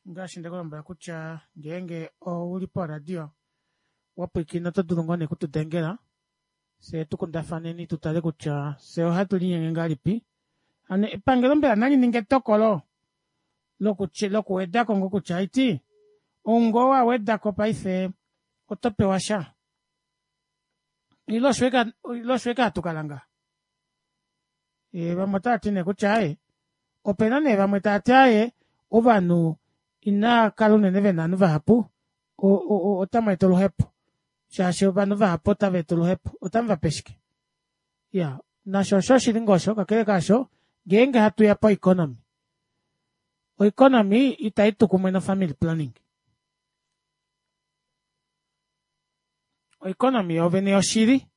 ngaashi ndekulombwela kutya ngeenge ouli poradio wapwiikina oto dulu ngoo nee kutudengela fye tukundafaneni tutale kutya fye ohatu linyenge ngahelipi. Hano epangelo mbela nali ninge etokolo lokuwedako ngoo kutya aiti ou ngoo wawedako paife oto pewa sha. Ile osho eke hatu kala ngaha. Vamwe otava ti nee kutya aye opena nee vamwe tava ti aye ovanhu ina kala unene vena ovanhu vahapu otamu eta oluhepo shaashi ovanhu vahapu otava eta oluhepo otamu vape shike. Ya nasho osho oshili ngoo osho kakele kaasho ngeenge hatu ya po economy, oeconomy itai tu kumwe no family planning. Oeconomy yovene yoshili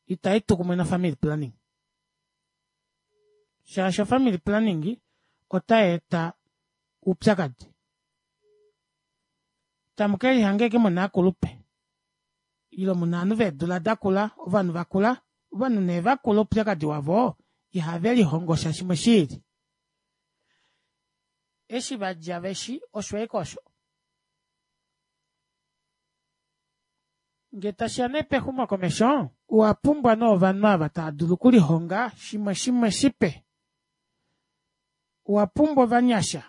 itai tu kumwe no family planning shaashi family planning otai eta upyakadi. Tamu ke lihanga eke muna akulupe ile muna ovanhu veedula dakula, ovanhu vakula, ovanhu nee vakula oupyakadi wavo ihave lihongo sha shimwe shiili. Eshi vadja veshi osho eke osho. Nge tashiya nee pexumokomesho, owa pumbwa nee ovanhu ava tava dulu okulihonga shimwe shimwe shipe. Owa pumbwa ovanyasha.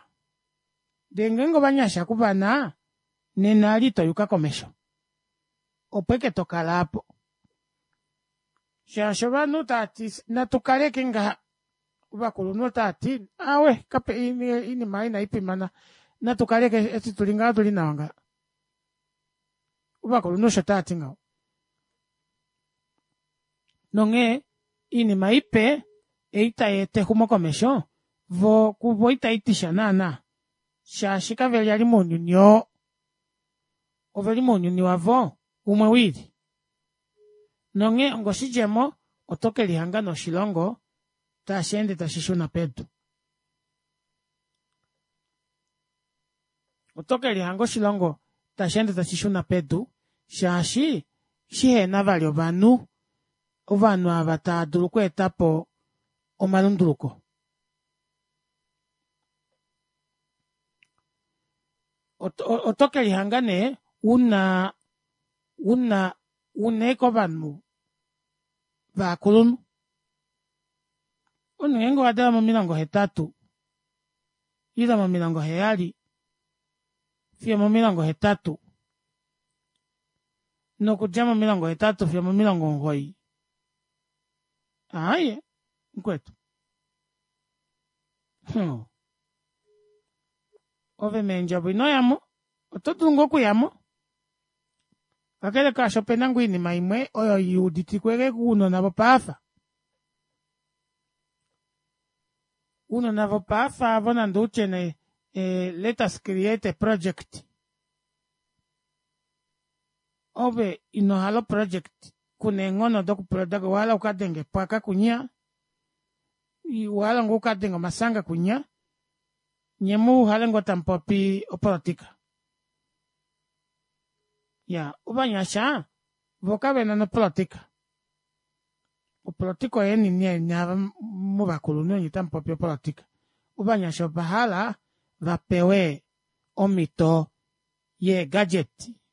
Ndee ngeenge ovanyasha kuvana, nena ali ito yuka komesho. Opo eke tokala apo. Shaashi ovanhu tava ti natu kaleke ngaha. Ovakulunhu otava ti awe kape inima inai fimana natu kaleke eshi tuli ngaha tuli nawa ngaha. Ovakulunhu osho tava ti ngaho. Nonghee inima ipe ei tai eta exumokomesho vo kuvo itai ti sha naana shaashi kave li mounyuni oo. Oveli mounyuni wavo umwe wiili. Nonghee ongoshidjemo oto ke lihanga noshilongo tashi ende tashi shuna pedu. Oto ke lihanga oshilongo tashi ende tashi shuna pedu shaashi shihena vali ovanhu, ovanhu ava tava dulu okweeta po omalunduluko. Oto ke lihanga nee una eke ovanhu vakulunhu. Omunhu ngeenge owa dalwa momilongo 8 Ile momilongo heyali fiyo momilongo hetatu nokudja momilongo hetatu fiyo momilongo omugoyi aaye mukwetu hmm. Ove meendjovo ino yamo oto dulu ngoo okuyamo kakele kaasho opena ngoo oinima imwe oyo i uditikweke kuunona vopaafa Uunona vopaafa avo nande utye ne eh, let us create a project. Ove ino hala oproject kuna eenghono dokuproduct owa hala ukadenge epwaka kunya owa hala ngoo ukadenge omasanga kunya nye mu uhale ngoo tamupopi opolotika ya ovanyasha vo kavena nopolotika Opolotika oyeni nee nye muvakulunhu onye tamu popi opolotika. Ovanyasha ova hala va pewe omhito yee gadget.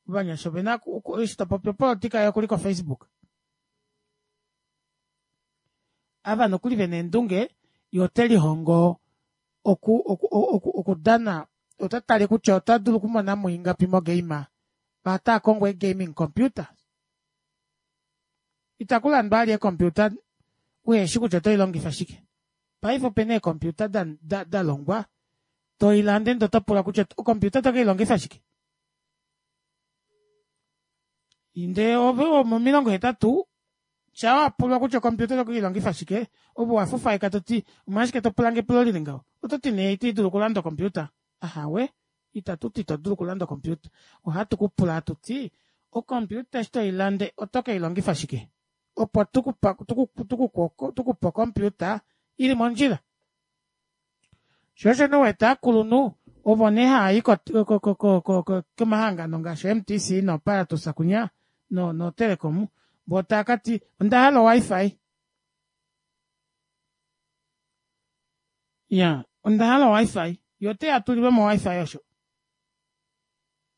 Ovanyasha ovena eshi to popi opolotika ye okuli ko Facebook. Ava nokuli vena eendunge ye ote lihongo oku oku oku okudana ota tale kutya ota dulu okumona mo ingapi mo game. Otaa kongo ee gaming computer. Itaku landwa vali eekompiuta uheshi kutya oto i longifa shike. Paife opena eekompiuta da, da, da longwa to i lande ndee oto pula kutya okompiuta oto ke i longifa shike. Ndee ove womomilongo hetatu shaa wa pulwa kutya okompiuta oto ke i longifa shike, ove owa fufaika to ti omolwashike to pulange epulo lili ngaho? Oto ti nee ito dulu okulanda okompiuta. Ahawe, Itatu ti ito dulu okulanda okompiuta. Ohatu ku pula hatu ti, Okompiuta eshi to i lande oto ke i longifa shike? Opo tu ku pe okompiuta i li mondjila. Sho osho nee u wete aakulunhu ovo nee haya yi komahangano ngaashi oMTC nooParatus kunya nooTelecom voo taya ka ti onda hala oWiFi. Ya, onda hala oWiFi. Ye ote ya tulilwe mo oWiFi osho.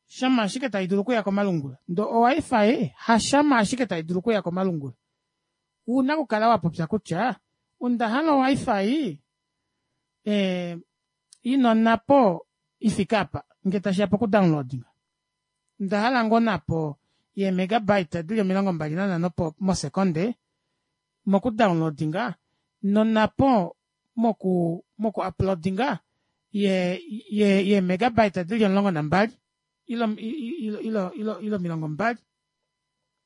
Shama ashike tai dulu okuya komalungula. Ndo oWiFi hashama ashike tai dulu okuya komalungula. Ouna okukala wa popya kutya onda hala oWiFi eh, ina onhapo i fike apa nge tashi ya pokudownloadinga. Onda hala ngoo onhapo yeemegabyte di li 25 po mosekonde moku downloadinga nonapo moku moku uploadinga ye ye ye megabyte dili 12 ilo ilo ilo ilo ilo 20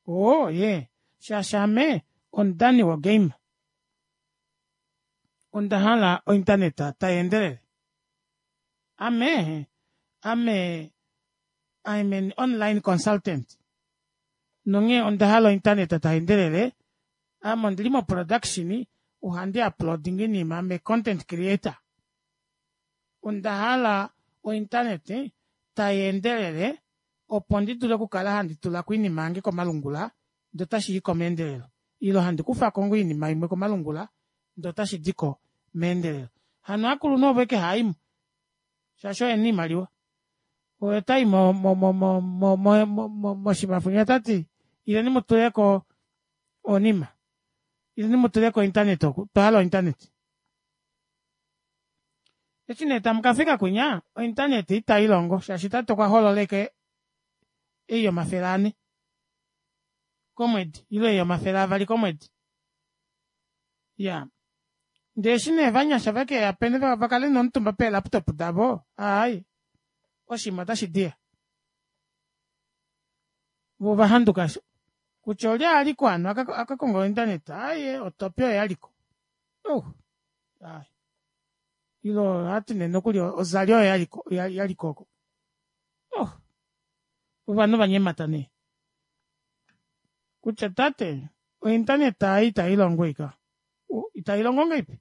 oo ye shaashi ame omudani wogame onda hala ointernet tai endelele ame ame I'm an online consultant nonghee onda hala ointernet tai endelele Ame ondili mo production ohandi uploading iinima ame content creator. Onda hala o internet tai endelele opo ndi dule okukala handi tula ko iinima yange komalungula ndee otashi i ko meendelelo ile handi kufa ko ngoo iinima imwe komalungula ndee otashi di ko meendelelo. Hano aakulunhu ovo eke haa i mo shaashi oye na iimaliwa. Oye ota i mo mo mo mo mo mo mo moshimafunya ota ti ileni mu tule ko onima ileni mu tule ko internet oku otwa hala ointernet eshi nee tamu ka fika kwinya ointernet itai longo shaashi tate okwa holola eke ei yomafele ane komwedi ile ei yomafele avali komwedi ya ndee eshi nee vanyasha veke ya pene va kale nomutumba peelaptop davo aai oshinima otashi diya vo ova handuka kutya olye a liko hano a ka konga ointernet aaye otopi oyo ya liko oh aye ilo ohati nee nokuli ozali oyo yaliko yaliko oko oh ovanhu va nyemata nee kutya tate ointernet ai itai longo ika itai longo ngaipi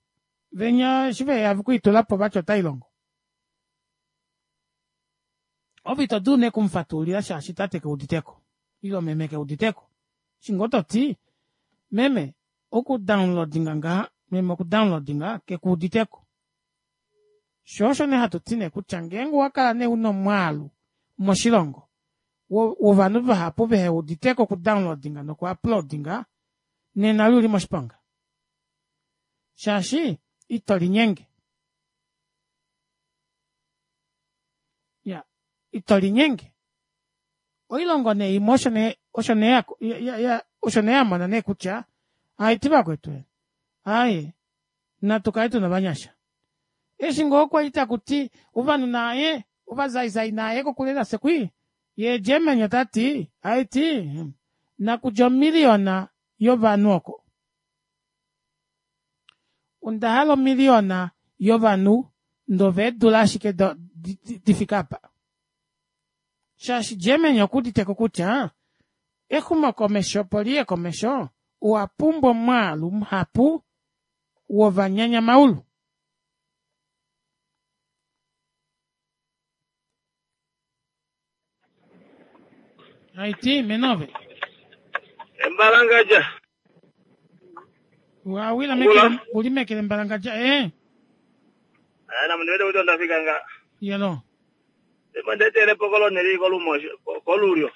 venya eshi veya okuitula po vati otai longo Ove ito dulu nee okumufatululila shaashi tate ke uditeko ile meme ke uditeko. Eshi ngoo to ti meme oku downloadinga ngaha, meme oku downloadinga ke ku uditeko. Sho osho nee hatu ti nee kutya ngeenge owa kala nee una omwaalu moshilongo wovanhu vahapu vehe uditeko oku downloadinga noku uploadinga nena li uli moshiponga shaashi ito linyenge. Ito linyenge. Oilongo nee imwe osho nee osho nee ya, ya, ya, osho nee ya mona nee kutya aiti vakwetu aaye natu kale tuna ovanyasha. Eshi ngoo kwali taku ti ovanhu naaye ovazaizai naaye kokule nafye kwii, yee Germany ota ti aiti nakudja omiliyona yovanhu oko. Onda hala omiliyona yovanhu ndove eedula ashike di fike apa. Shaashi Germany okuudite ko kutya exumokomesho opo li ye komesho owa pumbwa omwaalu muhapu wovanyanyamaulu. Haiti menove. Embalangadja. Wawila mekele uli mekele mbalangadja eh. Ana mundu wete ndafika nga. Yelo. Emo ndetele pokolo neli kolumosho kolulyo.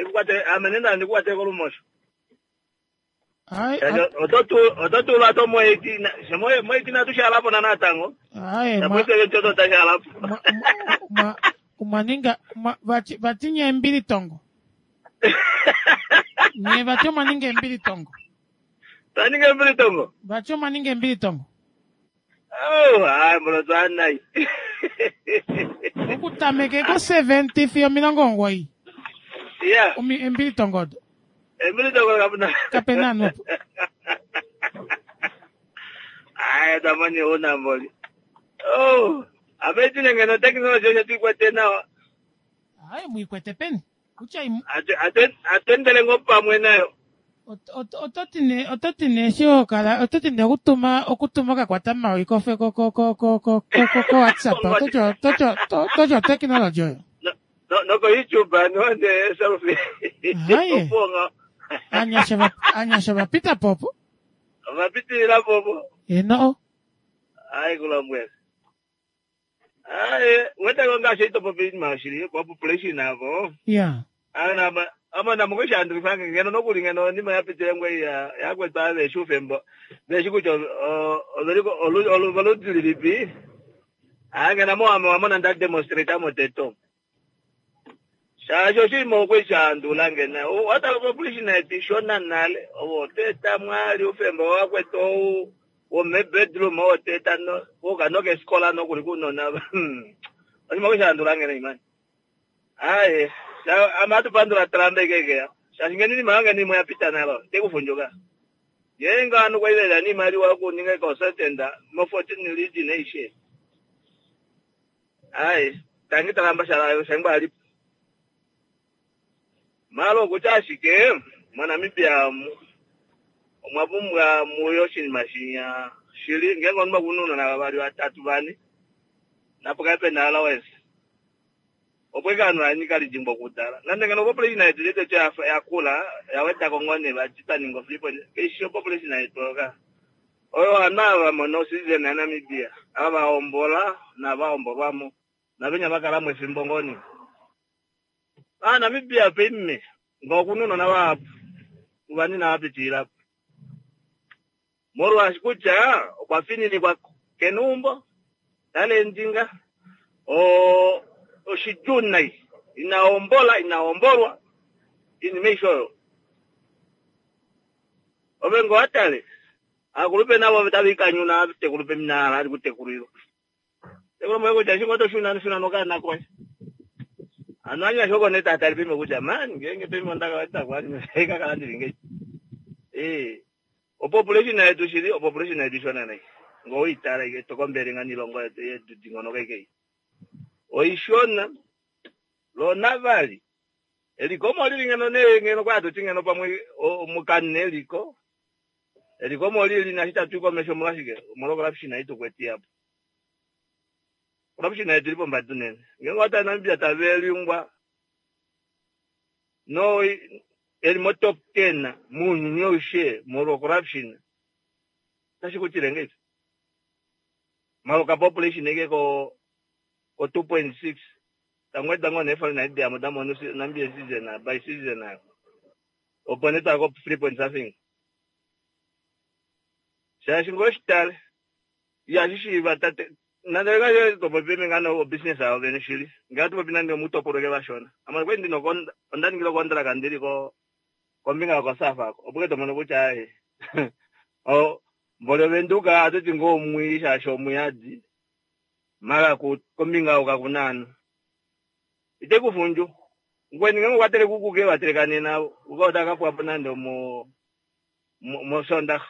Ikukwate ame nenda ndikukwate kolumosho. Ai oto tulwa to moeti moeti natu shalapo na natango. Ai mwa toto tashalapo. Mwa ninga vati vati nye mbili tongo. Nye vati omwa ninga embili tongo. Twaninga embili tongo. Vati omwa ninga embili tongo. Oh, ai mbono twanai. Okutameke ko 70 fiyo 90. Yeah. Embili tongo odo. Embili tongo kapena. Kapena nupo. Ai tamani una mboli. Oh, ametine ngeno technology yetu ikwete nawa. Ai muikwete peni. Kutya atendele ngo pamwe nayo. Oto ti nee eshi ho kala oto ti nee okutuma okutuma okakwata mawi kofe ko ko ko ko ko ko ko WhatsApp oto ti oto ti oto ti oteknologi oyo. Noko YouTube no ne selfie. Haye. Anyasha va anyasha va pita popo. Va pitilila popo. Eno. Ai kulombwela. Ai weta ngaashi ito popi mashili kwa population avo. Yeah. Ana ama namukoshandulifange ngeno nokuli ngeno nima yapitile ngwe ya yakwetwa veshi ufembo veshi kutya oveliko oludi lilipi angena mo ame wamona nda demonstrate moteto shasho oshinima okweshandula ngena watala population yetu ishona nale ovo teta mwali ufembo wakwetwa ou womebedroom oteta wokanokesikola nokuli kunona oshinima okweshandula ngena imani aye ama atupandula Trump kekeya shaashi ngeno inima yange nimwe yapita nalo tekufundjuka ngeenge ovanhu kwailela niimaliwa yokuninga consultant mo 14 region aishe aye tangi Trump shala shangwa alipo malo okutya ashike moNamibia omwa pumbwa muyo oshinima shinya shili ngeenge omunhu okuna ounona vavali vatatu vane napo kape pena allowance opo ike ovanhu vanyika lidimbo okudala nande ngeno population yetu yetu yakula yawedako ngoo nee vati twaninga o3 keishi opopulation yetu oka oyo ovanhu ava vamona ocitizen yaNamibia ava vahombola navahombolwamo navenya vakalamo efimbo ngoo nee Namibia peimme nga okuna ounona vahapu vani navapitilila molwaashi kutya okwa fininikwa keneumbo tale endinga oshidjuu nai inahombola inahombolwa inima aishe oyo ove ngo watale akulupe navo tava ikanyuna atekulupe minahala ali kutekulilwa tekulombwele kutya eshi ngoo toshuna shuna nokaana koye ano anyasha oko nee tatali pime kutya mani ngeenge pime ondakawetakwali kakala ndili ngei opopulation yetu shili opopulation yetu ishona nai ngo uitala ike tokombele nga niilongo yetu yedudingonoka ike oishona lona vali eliko molili ngeno nee ngeno kwa tuti ngeno pamwe mukane eliko eliko molili nashi tatu komesho molwashike omolwa corruption aitukweti apo corruption yetu ili pombada unene ngenge wata Namibia tavelingwa no eli mo top 10 muuyuni aushe molwa corruption tashi kutile ngeipi maloka population eke ko 2.6 tangweda ngoo nee foreign ID amo tamono Namibia citizen by citizen ayo opo nee twaya ko 3 point something shaashi ngoo shitale ihashi shiiva tate Nande ngaashi to popi peme ngano obusiness yawo vene shili. Ngee hatu popi nande omuutopolwa eke vashona. Ame okwali ndina onda ningile okontraka ndili ko kombinga yokoSAF ako. Opo ke to mono kutya aye o mboli Ovenduka ohatu ti ngoo omwii shaashi omuyadi. Mara ku kombinga oku kaku na aanhu. Ite ku fundju. Mukweni ngeenge okwa teleke uukuki e va teleka nena, uka otava ka pwa po nande omo mOsoondaxa.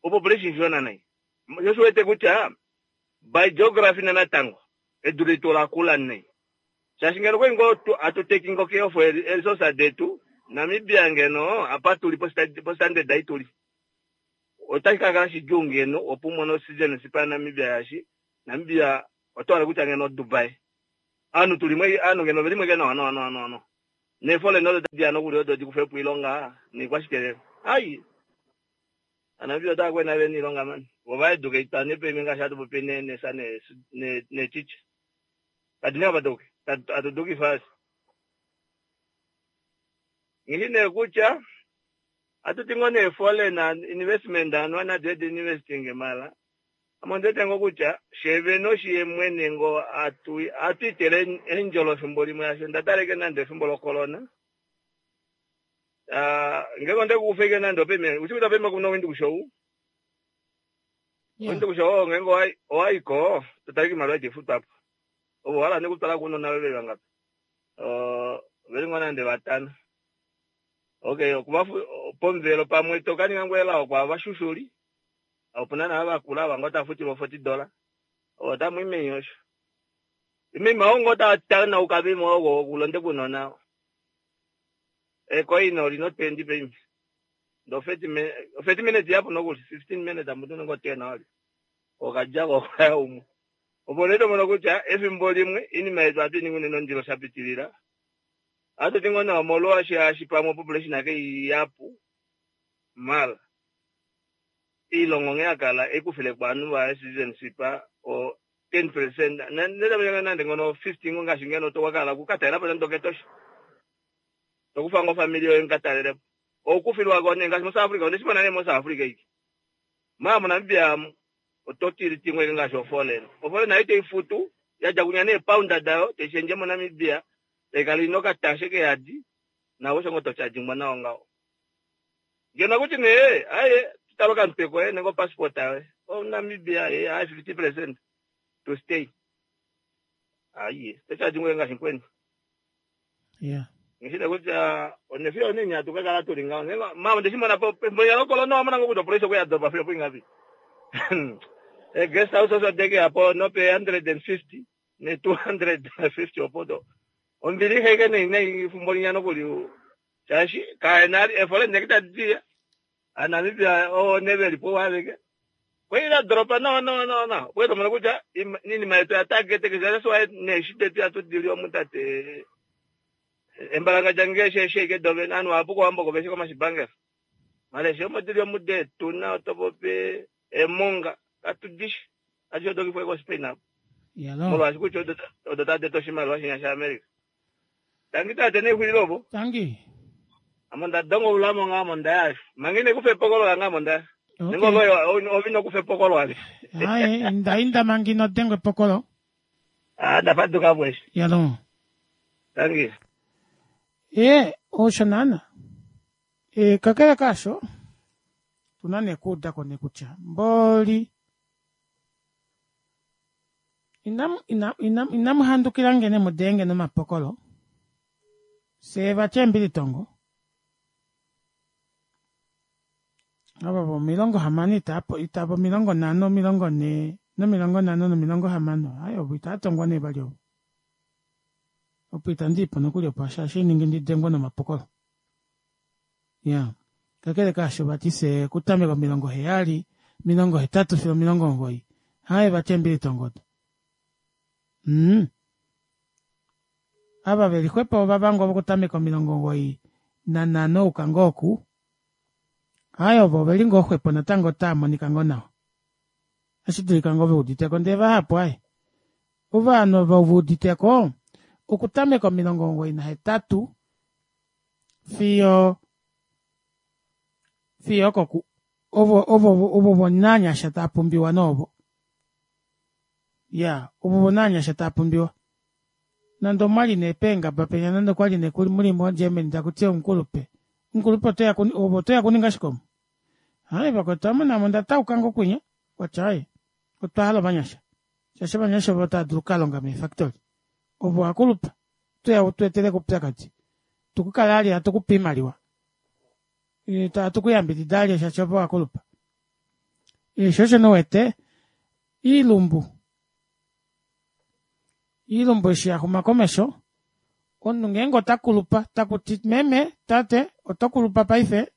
Opopulation ishona nai. Sho shi wete kutya by geography nanatango edu letu ola kula nai. Shaashi ngeno okwali ngoo hatu taking care of eeresource detu, Namibia ngeno apa tuli postandard ei tuli, otashi ka kala shidjuu ngeno opo u mone ocitizenship yaNamibia shaashi Namibia oto hala kutya ngeno oDubai. Ovanhu tuli mo ovanhu ngeno oveli mo ashike nawa nawa nawa nawa. Neeforeign odo tadi ya nokuli odo di kufe po oilonga noikwashike. Ai! Aanamibia otava kwena vena iilonga mani. Vo va educatwa nepevi ngaashi hatu popi ne nesa ne ne nechicha. Kadi na apa tuke. Atu dukifa asi. Ngishi nee kutya atu ti ngoo nee foreign investment anuwa nadi edi investing mala. Ame ondi wete ngoo kutya fye vene oshiye mwene ngoo atu atu itele eendjolo efimbo limwe shaashi onda tala ashike nande efimbo locorona. Ah, ngenge onde ku kufa nande opeme, ushi kutya opeme kuna Windhoek show? Yeah. Windhoek show ngenge owai owaiko to tala iimaliwa iti futwa po. Ovo wala nekutwala kuunona veve vangapi? Uh, veli ngoo nande vatano. Okay, okuva pomuvelo pamwe to ka ninga ngoo elao kwaava vashushuli. Opuna naa vakula ava ngoo tava futilwa 40 dollar. Ovo otamu i meni osho. Imima oo ngoo ta tanauka pima ogo okulonde kunona. Ekoina oli no 20 paife. Ndo 30 minutes, 30 minutes yapo nokuli, 15 minutes amutu ningo 10 oli. Okadja ko okaya umwe. Opo nee to mono kutya efimbo limwe iinima yetu ohatu i ningi unene ondilo sha pitilila. Ohatu ti ngoo nee omolwa shaashi pamwe population ake ihapu mara iilongo nghee ya kala ikufile ko ovanhu vayo citizenship o 10 percent nande ngono 50 ngo ngaashi ngeno to wakala oku ka talela po nande okEtosha. To kufa ngo ofamili yoye muka talele po. Okufilwa ko nee ngaashi moSouth Africa onde shi mona nee moSouth Africa iki. Maa moNamibia amu oto tili timwe ike ngaashi oforeign. Oforeign nayo iteyi futu ya dja kunya neepound dayo teyi shendje moNamibia tai kala ina okatashe keyadi nawe osho ngoo to chargingwa nayo ngaho. Ngeno akuti nee aye tutale okamutwe koye nenge opassport yoye. OmuNamibia ye aye 50% to stay. Aye to chargingwa ngaashi mukweni. Yeah. Ngishine kutya onefiyo nini hatu ka kala tuli ngaho. Ngenge mama onde shi mona po pefimbo linya lokolona owa mona ngoo kutya opolisi okwe ya dopa fiyo poingapi. E guest house osho deke yapo nope 150 ne 250 opo do. Ombilixa ike nei nei efimbo linya nokuli shaashi kaena efole ndeke tadi diya. AaNamibia oo ne veli po aveke. Kweli la doropa nawa nawa nawa nawa. Opo to mono kutya iinima yetu oya target keshe that's why neeshi detu ihatu di li omu tate embalangandja nge she she ike dovene ovanhu vahapu kOwambo oko veshi komashipangelo. Mara eshi omo dili omu deetuna oto popi eemonga katu dishi. Adishe odo kifwa koSpain apo. Yalo. Molwaashi kutya odo odo tadi eta oshimaliwa shinya shaAmerica. Tangi tate nexulilo opo. Tangi. Ame onda donga oulamo nga ame onda yasha. Manga ine kufa epokolo lange ame onda. Okay. Nenge ove ove ino kufa epokolo ave. Aye, inda inda manga ino dengwa epokolo. Ah, ndafaduka po eshi. Yalo. Tangi. E, osho naana. E, kakele kaasho, tuna nee okuuda ko nee kutya mboli Inamu, ina, ina, inamu handukila nge ne mu denge nomapokolo. Fye vati eembilitongo. Ava vomilongo hamano itaapo, itava 50, 40 nomilongo nhano nomilongo hamano. Ai, ovo itaa tongwa nee vali ovo. Opo itandi ipo nokuli opo shaashi ningi ndi dengwe nomapokolo. Ya. Kakele kaasho vati fye okutameka 70, 80 fiyo 90. Haye vati eembilitongo odo. Mm. Ava ve li xwepo ovava ngoo vokutameka 95 ouka ngoo oku. Haye ovo ove li ngoo xwepo natango otaa monika ngoo nawa. Otashi dulika ngoo ve udite ko ndee vahapu aye. Ovanhu ovo ve udite ko okutameka 98 fiyo fiyo okoku. Ovo ovo ovo vonaanyasha taa pumbiwa noovo. Ya, ovo vonaanyasha taa pumbiwa. Nande omwali nee peengaba penya nande okwali nee kuli muli moGermany taku ti omukulupe. Omukulupe otoya ku ove otoya kuninga shike omu? Hai vakwetu ame name onda tauka ngo kwinya watya ai otwa hala ovanyasha. Shaashi ovanyasha ovo tava dulu okukalonga meefactory. Ove owakulupa otoya utu etele ko oupyakadi. Tukukale ali hatu kupe oimaliwa. Hatu kuyambidida ali shaashi ove owakulupa. Sho osho nee uwete iilumbu iilumbu eshi ya xuma komesho omunhu ngeenge ota kulupa taku ti meme tate oto kulupa paife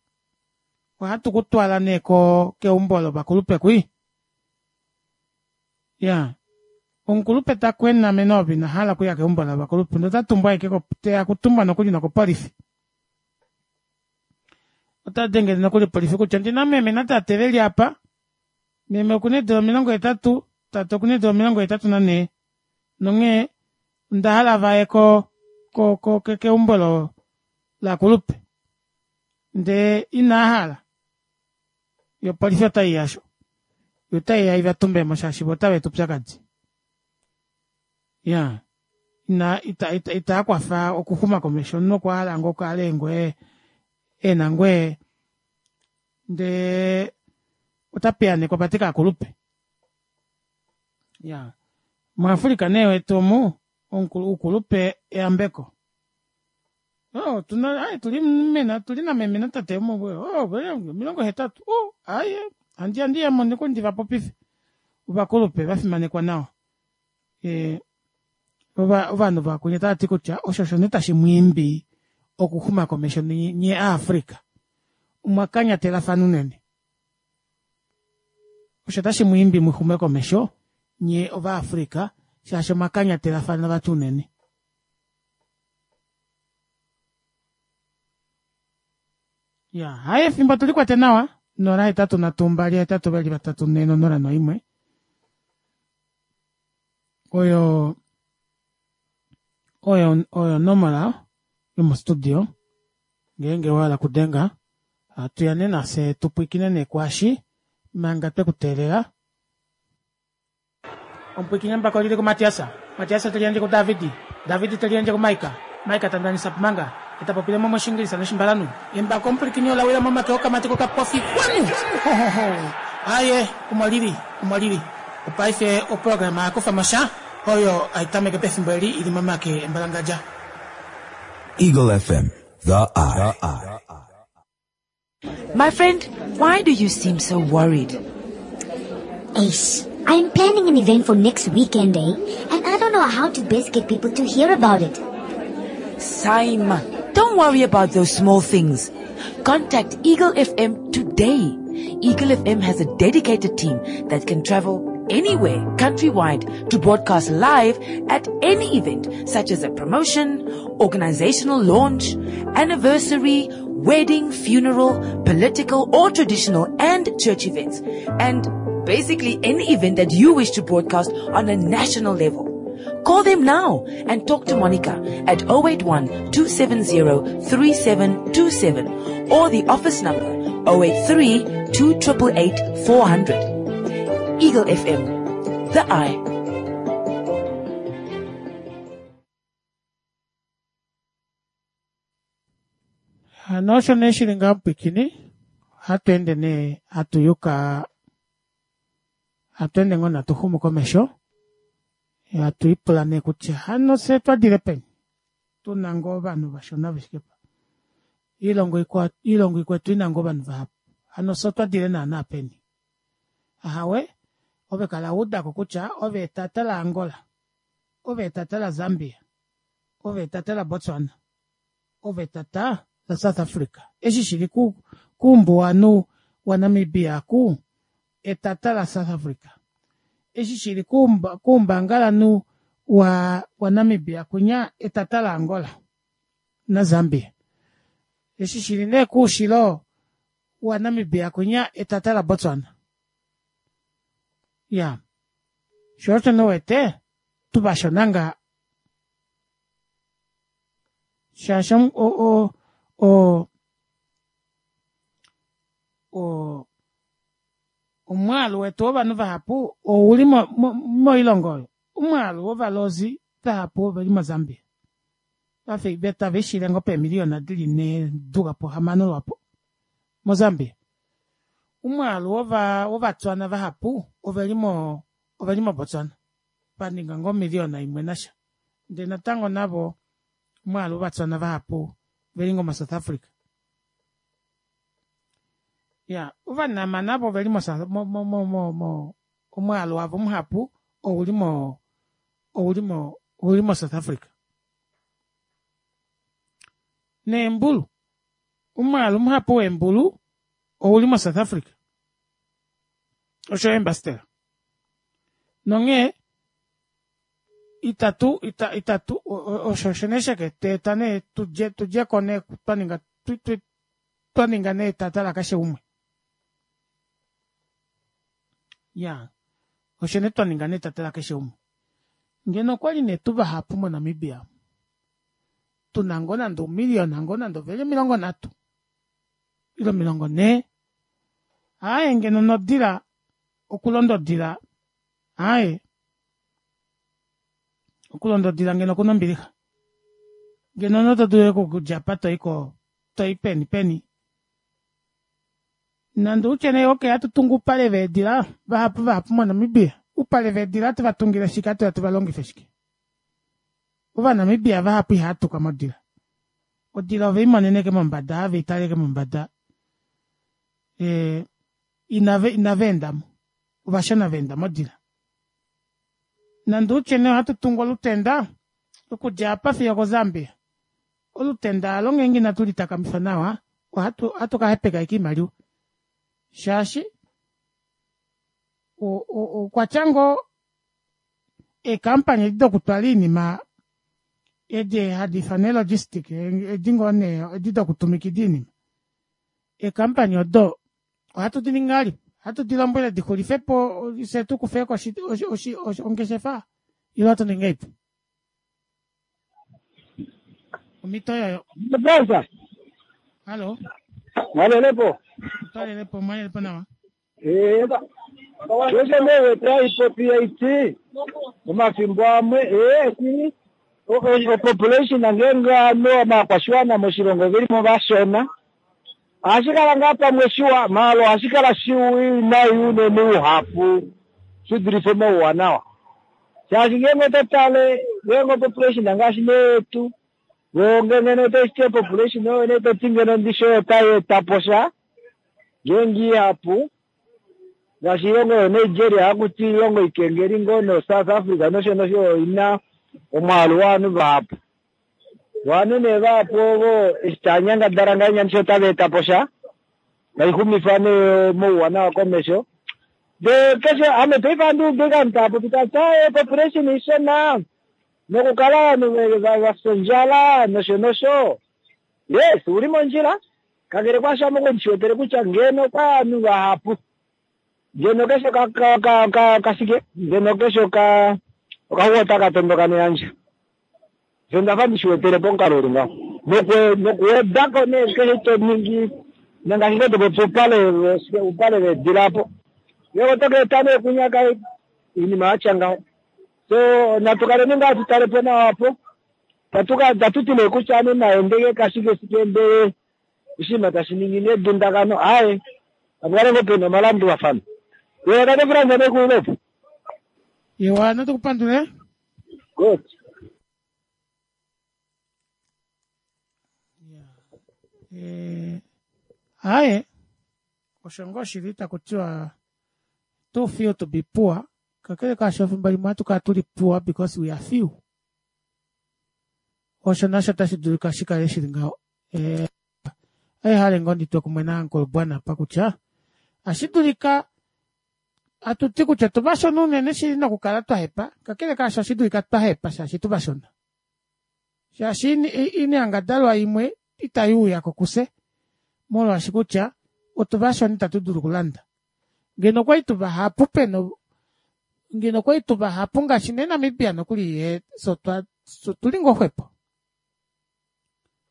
ohatu ku twala nee ko keumbo lovakulupe kwi ya omukulupe ta kwena mene ove ina hala okuya keumbo lovakulupe ndee ota tumbwa ashike teya kutumbwa nokuli nokopolifi ota dengele nokuli opolifi kutya ondina meme natate veli apa Meme okuna eedula 80, tate okuna eedula 84 nonghee onda hala vaye ko ko ko keumbo lo lakulupe ndee inaa hala yo opolifi otai ya sho yo otai ya iva tumbemo shaashi vo otava eta oupyakadi ya ina ita ita itaa kwafa okuxuma komesho omunhu okwa hala ngoo kale ngoo ena ngoo ndee ota piyaanekwa vati kaakulupe. Ya muAfrica nee wetu omu oukulupe eyambeko. Oh, tuna ai tuli mena tuli na meme na tate omu oh 80 oh ai handi handi ya mo ndi va popife. Ovakulupe va fimanekwa nawa. Eh ovanhu vakunya tava ti kutya osho osho nee tashi mu imbi okuxuma komesho nye aAfrica. Omwa kanyatelafana unene. Osho tashi mu imbi mu xume komesho nye Ovaafrika shaashi omwa kanyatelafana vati unene. Ya, haye efimbo tu likwate nawa. 0 8 3 2 8 2 3 4 0 1 oyo oyo oyo onomola yomostudio ngeenge wa hala okudenga hatu ya nee nafye tu pwiikine nee kwaashi manga twe ku teelela. Omupwiikine mbaka oli li kuMatias, Matias te liyandje kuDavid, David te liyandje kuMaika, Maika ta ndanisa manga, ye ta popile mo mOshiingilisa nOshimbalanhu. Embako omupwilikini ola wila momake okamati kokapofi kwanu! Hohoho! Aaye, omo li li, omo li li. Opaife oprograma ya kufa mo sha, oyo hai tameke pefimbo eli i li momake embalangadja. Eagle FM, the eye. My friend, why do you seem so worried? Ace, I'm planning an event for next weekend, eh? And I don't know how to best get people to hear about it. Simon, don't worry about those small things. Contact Eagle FM today. Eagle FM has a dedicated team that can travel anywhere countrywide to broadcast live at any event such as a promotion, organizational launch, anniversary, wedding, funeral, political or traditional and church events, and basically any event that you wish to broadcast on a national level. Call them now and talk to Monica at 081 270 3727 or the office number 083 288 400. Eagle FM, the eye. Hano osho nee shili ngaho mupwikini, ohatu ende nee hatu yuka, hatu ende ngoo natu xumu komesho, hatu lipula nee kutya hano fye twa dile peni? Tu na ngoo ovanhu vashona ve fike pa. Oilongo ikwao, oilongo ikwetu i na ngoo ovanhu vahapu. Hano fye otwa dile naana peni? Ahawe, ove kala wa uda ko kutya ove etata laAngola, ove etata laZambia, ove etata laBotswana, ove etata laSouth Africa. Eshi shi li kuumbuwanhu waNamibia ku etata laSouth Africa. Eshi shi li kuumbangalanhu waNamibia kunya etata laAngola naZambia. Eshi shi li nee kuushilo waNamibia kunya etata laBotswana. Ya. Sho osho nee uwete tuvashona ngaa. Shaashi o o o o. Omwaalu wetu wovanhu vahapu ouli mo, mo, moilongo oyo. Omwaalu wovalozi vahapu oveli moZambia. Vafe tave shile ngo peemiliyona dili ne duka po hamano lwapo moZambia. Omwaalu wova wovatswana vahapu oveli mo oveli moBotswana. Va ninga ngo omiliyona imwe nasha. Ndele natango navo omwaalu wovatswana vahapu veli ngo moSouth Africa. Ya, ovanama navo oveli mo mo mo mo mo, mo omwaalu wavo muhapu ouli mo ouli mo ouli moSouth Africa. Neembulu, omwaalu muhapu weembulu ouli moSouth Africa. Osho eembastela. Nonghee itatu ita itatu osho osho nee sheke tweeta nee tudje tudje ko nee twa ninga twa ninga nee etata lakeshe umwe. Ya, osho nee twa ninga nee etata lakeshe umwe. Ngeno okwali nee tu vahapu moNamibia, tu na ngoo nande umiliyona ngoo nande oveli 30 ile 40, aaye ngeno nodila okulonda odila, aaye okulonda odila ngeno okuna ombilixa. Ngeno noto dulu okudja apa to i ko to i peni peni. Nande utye nee okay hatu tungu oupale veedila vahapu vahapu moNamibia. Oupale veedila hatu va tungile shike hatu ya tu va longife shike? Ovanamibia vahapu ihava tuka modila. Odila ove i monene ke mombada have i tale ke mombada. E, inave inava enda mo. Ovashona va enda modila. Nande utye nee ohatu tungu olutenda okudja apa fiyo okoZambia. Olutenda alo ngeenge inatu li takamifa nawa ohatu ohatu ka hepeka ashike oimaliwa shaashi okwa tya ngoo eekampani edi dokutwala oinima edi hadi ifanwa eelogistic edi ngoo nee edi dokutumikida oinima eekampani odo ohatu di ningi ngahelipi ohatu di lombwele di xulife po fye tu kufe ko ongeshefa ile ohatu ningi ngahelipi Omhito yoyo. Brother. Hallo. Mwalelepo. Twalelepo, mwalelepo nawa. Eh. Keshe newe taipopi yaiti omafimbo amwe eh si o population ngeenge ovanhu ovakwashiwana moshilongo veli mo vashona ohashi kala ngaa pamwe shiwa maala ohashi kala shiwinayi unene uhapu shi dulife omauwanawa shaashi ngeenge oto tale ngeenge opopulation ngaashi neyetu vo ngeno otoshiti opopulation oyo nee toti ngeno ndishi oyo otai eta po sha ngeenge ihapu ngaashi oilongo yoNigeria hakuti oilongo ikengeli ngoo noSouth Africa nosho nosho oina omwaalu wovanhu vahapu ovanhu nee vahapu ovo eshi tava nyangadala ngahenya ndishi otava eta po sha taixumifa nee omauwanawa komesho ndee keshe ame paife ohandi udu ovanhu tava popi tava ti population ishona nokukala ovanhu vafya ondjala nosho nosho yes uli mondjila kakele kwaasho ame okwali ndishi kutya ngeno kwa ovanhu vahapu ngeno keshe kashike ngeno keshe okaxuwa otaka tondoka neyandja osho ndafa ndishiwetele pomukalo uli ngaho nokuwedako nee keshe to ningi nangaashi ngoo topopi oupale oupale veedila apo ngenge oto ka eta nee kunyaka oinima yatya ngaho so natu kaleni ngaa tutalepo nawa apo tatuti nee kutya ame naendeke kashike shike ndele oshinima tashi ningi nedundakano aaye apukale ngoo pena omalandulafano ye tate Frans nekuilepo Iwa notukupandule. Good. Eh, aye osho ngoo shili taku tiwa too few to be poor kakele kaasho efimbo limwe ohatu kala tuli poor because we are few osho nasho otashi dulika shi kale shili ngaho eh, hale ngoo nditwe kumwe nauncle Bwana apa kutya ashi dulika hatu ti kutya tuvashona unene shili nokukala twa hepa kakele kaasho ohashi dulika twa hepa shaashi tuvashona shaashi oinyangadalwa imwe itai uya ko kufye molwaashi kutya otuvashona itatu dulu okulanda ngeno okwali tuvahapu pena ngeno okwali tuvahapu ngaashi nee Namibia nokuli ye so tuli ngoo xwepo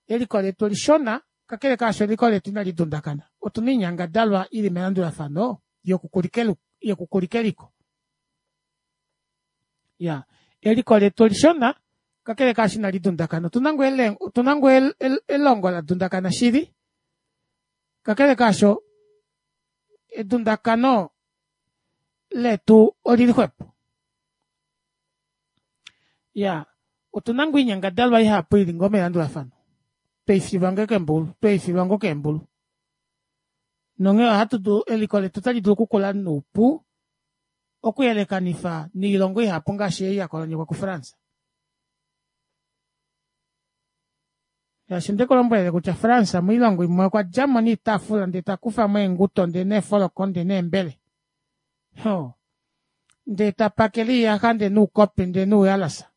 eliko letu olishona kakele kaasho eliko letu inali dundakana otuna oinyangadalwa ili melandulafano. yokukulika eliko. Ya, eliko letu olishona kakele kaashi inali dundakana. Otuna ngoo ele, otuna ngoo el, el, elongo la dundakana shili, kakele kaasho edundakano letu olili xwepo. Ya, otuna ngoo oinyangadalwa ihapu ili ngoo melandulafano. Tweifilwa ngoo keembulu, tweifilwa ngoo keembulu. Nonghee ohatu dulu, eliko letu otali dulu okukula noupu okuyelekanifa noilongo ihapu ngaashi ei ya kolonyekwa kuFrance. Shaashi onde ku lombwelele kutya France moilongo imwe okwa dja mo niitaafula ndee ta kufa mo eenguto ndee neefoloko ndee neembele. Ho. Ndee ta pakele iiyaxa ndee nuukopi ndee nuuyalasa.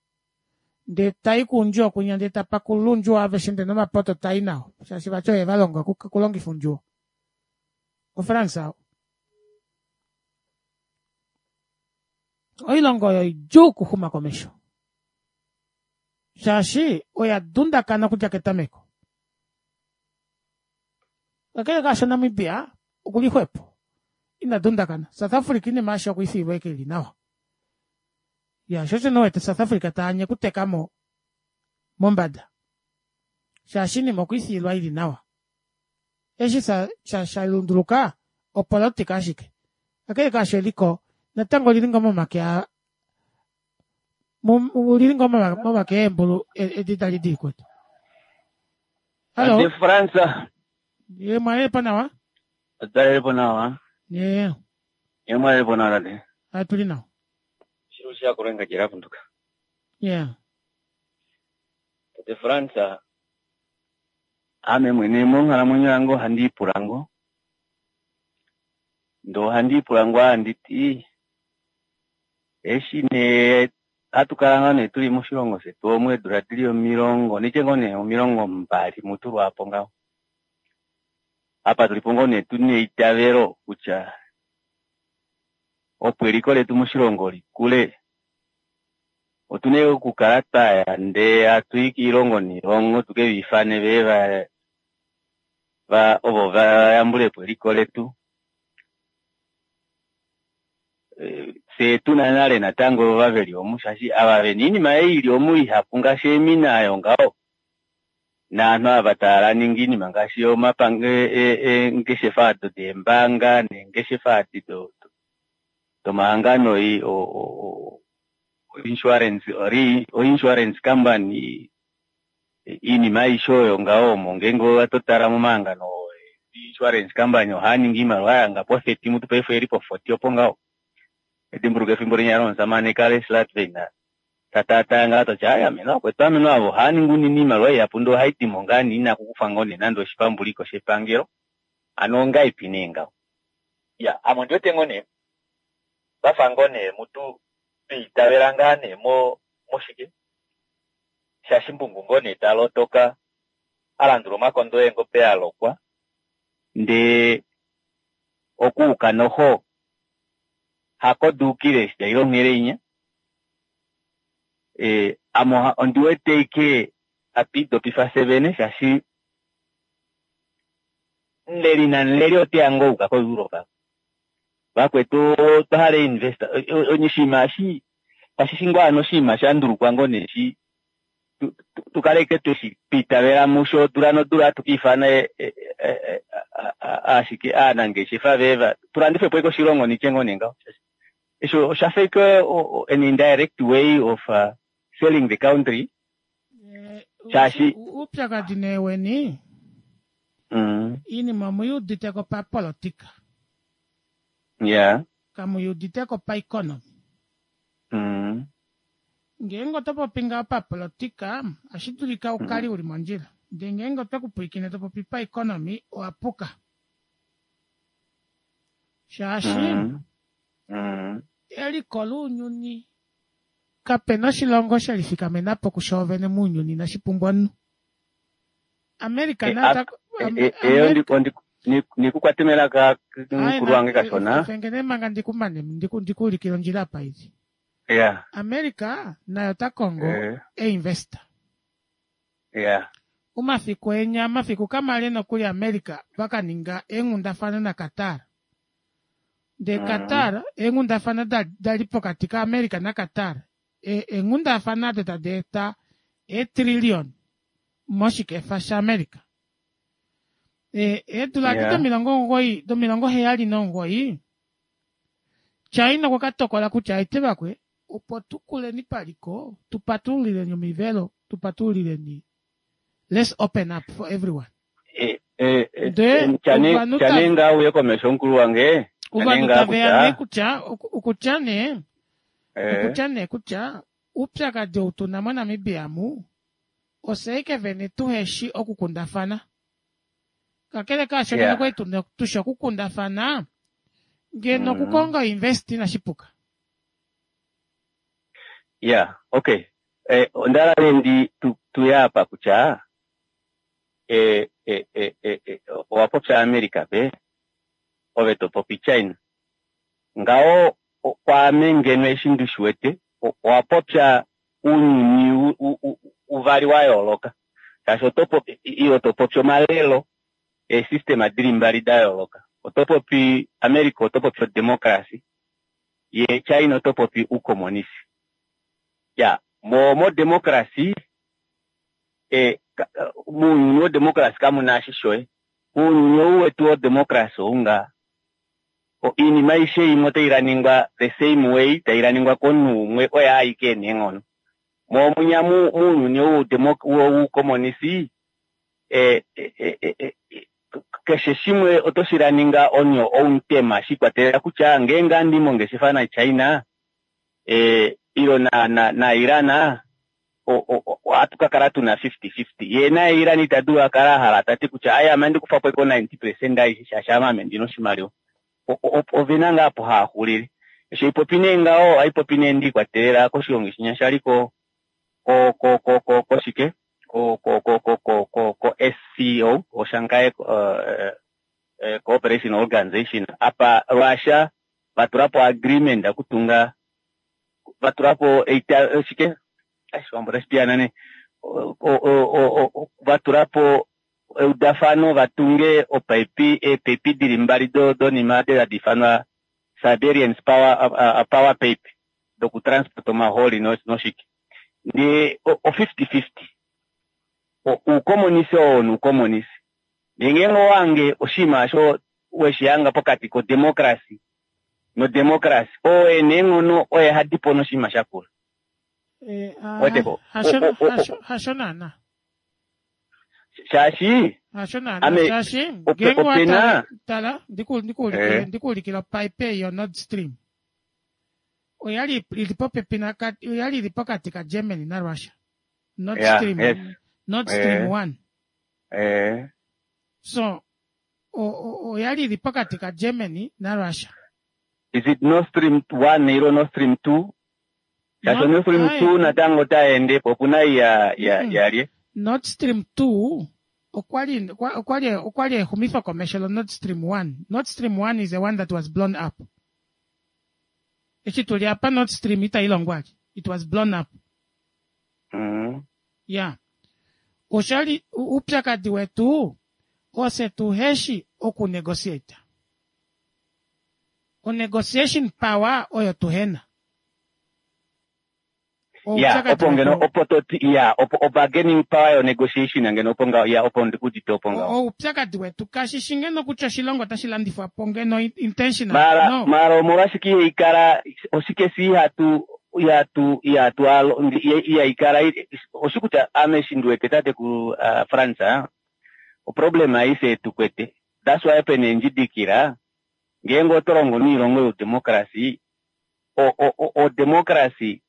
Ndee ta i kuundjuwo kwinya ndee ta pakulula uundjuwo aveshe ndee nomapoto ta i nao shaashi vati oye va longa okulongifa uundjuwo. OFrance oo. Oilongo oyo idjuu okuxuma komesho shaashi oya dundakana okudja ketameko. Kakele kaasho Namibia okuli xwepo ina dundakana. South Africa inima aishe okwe i fiilwa ashike ili nawa. Ya sho osho nee wete South Africa taanye okuteka mo mombada shaashi inima okwe i fiilwa ili nawa. Eshi sha sha sha lunduluka opolotika ashike. Kakele kaasho eliko natango olili ngoo momake a olili ngoo momake eembulu edi dali dii kwetu. Hallo. Tate Frans. Ye mwalelepo nawa? Otalelepo nawa. Ye. Ye mwalelepo nawa tate. Atuli nawa. Shilo shakulenga jera kunduka. Yeah. Tate Frans, ame mwene monghalamwenyo yange ohandi ipula ngoo. Ndee ohandi ipula ngoo handi ti, eshi nee hatu kala ngoo nee tuli moshilongo shetu omu eedula dili omilongo, nditye ngoo nee 20 mutu lwaapo ngaho. Apa tulipo ngoo nee tuna eitavelo kutya opo eliko letu moshilongo likule, otuna okukala twaya ndee hatu i kiilongo niilongo tuke va ifane veye va, va ovo va yambulepo eliko letu. Fyee tuna nale natango ova veli omu, shaashi ava vena oinima ei ili omu ihapu ngaashi eemina ayo ngaho, naanhu ava tava ningi oinima ngaashi omapange eengeshefa ado deembaanga neengeshefa adi domahangano insurance, o insurance company, iinima aishe oyo ngaho omo ngeenge oto tala momahangano insurance company ohaa ningi iimaliwa yanga po 30 mutu paife oyeli po 40 opo ngaho. Edimbuluka efimbo linya lomusamane Kale Schlettwein ta ngaho toti ai ameno vakwetu ameno avo ohaa ningi unene iimaliwa ihapu ndee ohai dimo ngaa nee inaku kufwa ngoo nee nande oshipambuliko shepangelo hano ongaipi nee ngaho. Ya ame ondiwete ngoo nee vafa ngoo nee mutu twiitavela ngaa nee mo moshike shashimbungu ngoo nee talotoka a landula omakondo eengobe a lokwa ndee okuuka noho hako duukile eshi daile onghele inya. E, ame ondi wete ike hatu idopifa fye vene shaashi omuleli namuleli oteya ngoo auka koEurope. Vakwetu otwa hala investor oshinima eshi kashi shi ngoo hano oshinima sha ndulukwa ngoo nee shi tukale ike tweshi twiitavela musho odula nodula hatu ka ifana ashike aanangeshefa vee tulandife po ike oshilongo nitye ngoo nee ngaho. Esho osha fa ike an indirect way of selling the country shaashi Uupyakadhi nee weni iinima omu udite ko papolitika kamu udite ko paeconomy. Ngeenge oto popi ngaho papolitika ohashi dulika ukale uli mondjila, ndee ngeenge otwe ku pwilikine to popi paeconomy owa puka. Shaashi eliko lounyuni kapena oshilongo she lifikamena po kushoovene mounyuni inashi pumbwa omunhu. America naye ota Nikukwate melaka mukulu wange kashona. Efenge nee manga ndikumane ndikuulikile ondjila apa ili. America naye ota kongo einvestor. Omafiku enya omafiku kamale nokuli America vaka ninga eenghundafana naQatar. Ndee Qatar, eenghundafana da da li pokati kaAmerica naQatar, eenghundafana ado tadi eta eetrillion moshikefa shaAmerica. Eedula adi domilongo omugoyi, domilongo 79, China okwa ka tokola kutya aite vakwe, opo tu kuleni paliko, tu patululileni omivelo, tu patululileni, let's open up for everyone. Ndee ovanhu Chane ngaa uye komesho mukulu wange. Chane ovanhu ngaa taveya nee kutya kutya, okutya nee, okutya nee kutya oupyakadi ou tuna moNamibia mu ofye ashike vene tuheshi okukundafana. Kakele kaasho ngeno okwali tushi okukundafana, ngeno okukonga invest inashi puka. Yeah, okay. Onda hala nee ndi tuye apa kutya owa popya America pe, ove to popi China. Ngaho kwaame ngeno eshi ndi shi wete, owa popya ounyuni uvali wa yooloka. Shaashi oto popi, ile to popi omalelo eesystem dili mbali da yooloka. Oto popi America, oto popi odemocracy, ye China oto popi uukomonisi. Ya, mo democracy, muuyuni wodemocracy kamu na ashi shoye. Muuyuni ou wetu wodemocracy ou ngaa, iinima aishe imwe otai laningwa the same way, tai laningwa komunhu umwe oye aike ena eenghono. Mo munya muuyuni ou woukomonisi, keshe shimwe oto shi laninga on your own term, shiikwatelela kutya ngeenge andi mongeshefa naChina ilo na Iran, ohatu ka kala tuna 50-50. Ye naye Iran ita dulu akala ahala tati kutya aye ame andi kufa po iko 90% aishe shaashi ame ndina oshimaliwa. Ovena ngaa apo haaxulile. Eshi haipopi nee ngaho, ohaipopi nee ndiikwatelela koshilongo shinya shali ko ko ko ko ko koshike ko ko ko ko ko ko ko SCO, o Shanghai Cooperation Organization, apa Russia vatulapo agreement okutunga, vatulapo shike Oshiwambo otashi piyaana nee, vatulapo eudafano vatunge opaipi, eepaipi dili mbali donima adi hadi ifanwa Siberian power pipe dokutransport omahooli noshike. Ndee o 50-50. Uukomonisi oo nuukomonisi. Ndee ngeenge owange oshinima osho weshihanga pokati kodemocracy nodemocracy, oo ena eenghono oye hadipo noshinima shakula. Weteko? Hasho naana. Shaashi Hasho naana shaashi ngeenge opena tala ndikuulikile ndikuulikile opipe yo Nord Stream. Oyali ili popepi na oyali ili pokati ka Germany na Russia. Nord Stream Nord Stream 1. So oyali ili pokati ka Germany na Russia. Is it Nord Stream 1 ilo Nord Stream 2? Shaashi Nord Stream 2 natango otaende po, opuna ya ya yalye. Nord Stream 2 okwali okwali okwali exumifo komesho lo Nord Stream 1. Nord Stream 1 is the one that was blown up. Eshi tuli apa Nord Stream itai longwa. It was blown up. Yeah. Oshali upyakadi wetu ose tuheshi oku negotiate. O negotiation power oyo tuhena. Ya, opo ngeno opo toti ya opo o bargaining power yo negotiation ngeno opo ngaho ya opo ndikudite opo ngaho. Oupyakadi wetu kashi ngeno kutya oshilongo otashi landifwa po ngeno intentional. Mara No. Mara omolwashike ihaikala oshike si ihatu ihatu ihatu alo ihaikala oshi kutya ame eshi ndiwete tate ku France oproblem aishe tukwete. That's why pena endjidikila ngeenge oto longo noilongo youdemocracy o o democracy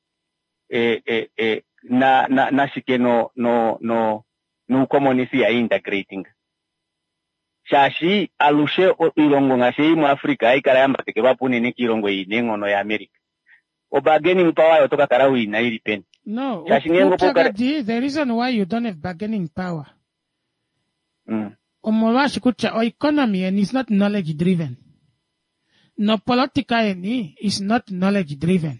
na na nashike no no no nuukomonisi ya integrating shaashi alushe oilongo ngaashi ei muAfrica haikala yambatekelwapo unene kiilongo ei neenghono yaAmerica. O bargaining power oto ka kala uina ili peni? No, Shaashi ngeenge opo ukale upyakadi, the reason why you don't have bargaining power omolwaashi kutya oeconomy yeni is not knowledge driven. Nopolitika yeni is not knowledge driven.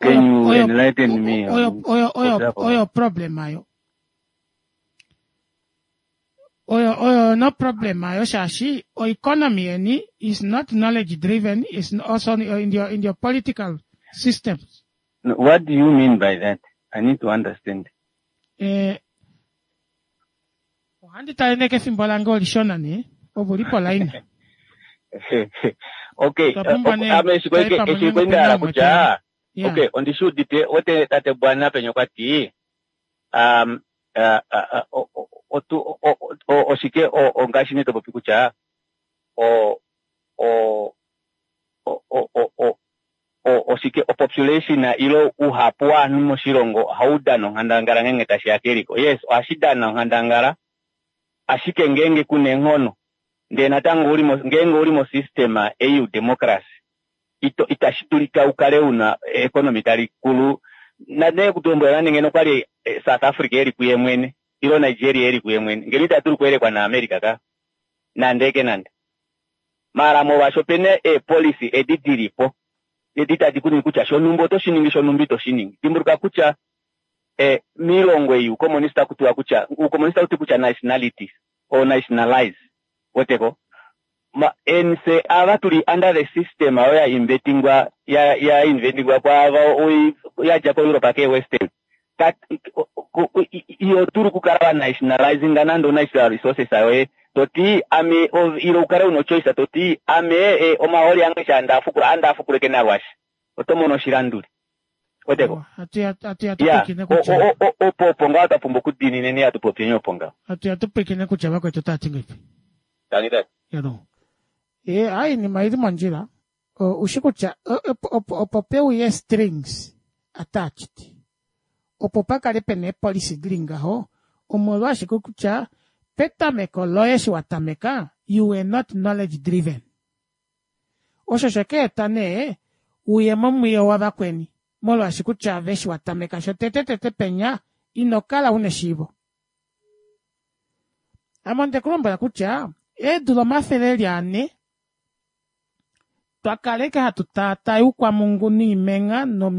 Can you enlighten me Oyo oyo oyo oyo problem ayo. Oyo oyo no problem ayo shaashi o economy yeni is not knowledge driven is also in your in your political system. No, what do you mean by that? I need to understand. Eh, ohandi tale nee kefimbo lange olishona nee ove uli polaina. Okay, Otwa pumbwa nee ame eshi tale pamwe eshi nenge kwali nda hala opena umwe kutya Yeah. okay, ondi shi udite ote tate Bwana penya okwa ti um, uh, uh, uh, o- otu o- o- o- oshike o- ongaashi nee to popi kutya o o o o o o o- oshike opopulation ilo uhapu waanhu moshilongo ohau dana onghandangala ngeenge tashi ya keliko. Yes, ohashi dana onghandangala ashike ngeenge kuna eenghono ndee natango uli mo, ngeenge uli mosystem ei youdemocracy ito itashi dulika ukale una economy tali kulu nane kutulombwela nande ngeno kwali eh, South Africa eli kuye mwene ilo Nigeria eli kuye mwene ngeno ita dulu kuyelekwa naAmerica ka nande ke nande maala molwaashi opena eepolicy edi dilipo edi tadi kuningi kutya shonumba oto shi ningi shonumba ito shi ningi dimbuluka kutya eh, miilongo ei uukomonista kutiwa kutya uukomonista uti kutya nationalities or nationalize weteko ma nse ava tuli under the system ayo ya inventingwa ya ya inventingwa kwaava oi yadja ko Europe ke western Kat, iyo dulu kukala wa nationalizinga nande national resources ayoye toti ame ilo ukale una choice toti ame e, omahooli ange sha ndafukula andafukuleke nalwashi oto mono oshilanduli weteko Hatu ya hatu ya ya tupwikine kutya opo opo ngaho twa pumbwa okudiinineni hatu popyeni opo ngaho hatu ya tupwikine kutya vakwetu otava ti ngahelipi. Tani tati. You know. E, ai inima ili mondjila. O, ushi kutya opo, opo, opo peuye strings attached. Opo pakale pena eepolicy dili ngaho omolwashike kutya petameko loye eshi wa tameka you were not knowledge driven. Osho shekeeta nee uye momwiyo wavakweni molwaashi kutya ave eshi wa tameka shotete tete penya ino kala una eshiivo. Ame onde kulombwela kutya eedula omafele eli ane twakala ike hatu taataye oukwamungu niimenga no,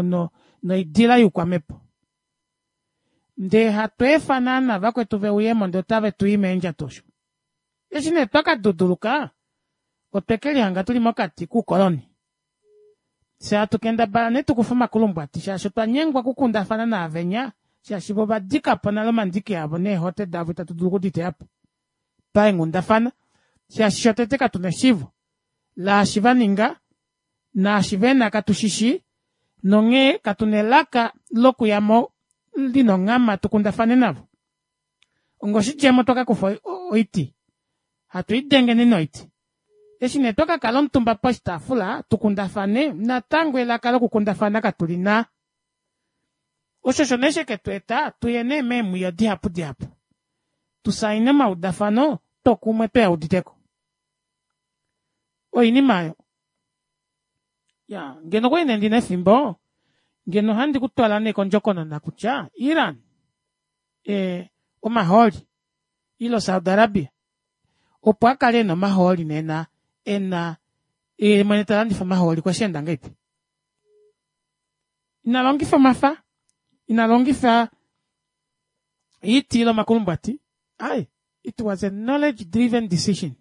no, noidila youkwamhepo. Ndee hatu efa naana vakwetu veuyemo ndee otave tu i meendjato osho. Eshi nee twakaduduluka otwe kelihanga tuli mokati kuukoloni. Fye hatu kendabala nee tukufe omakulumbwati shaashi otwa nyengwa okukundafana naavenya shaashi vo ovadika po nale omandiki avo neehote davo itatu dulu okuditeya po paenghundafana shaashi shotete katuna eshiivo laashi vaninga naashi vena katushishi nonghee katuna elaka lokuyamo lina onghama tukundafane navo. Ongoshidjemo twakakufa oiti hatu idengeni noiti. Eshi nee twakakala omutumba poshitaafula tukundafane natango elaka lokukundafana katulina. Osho osho nee sheketu eta tuye nee meemwiyo dihapu dihapu. Tusaine omaudafano tokumwe tweyauditeko. Oinima oyo. Ya, ngeno okwali nee ndina efimbo ngeno ohandi kutwala nee kondjokonona kutya Iran e, omahooli ilo Saudi Arabia opo akale ena omahooli nena ena ye mwene talandifa omahooli kwesheenda ngahelipi. Ina longifa omafa, ina longifa oiti ile omakulumbwati, ai it was a knowledge driven decision.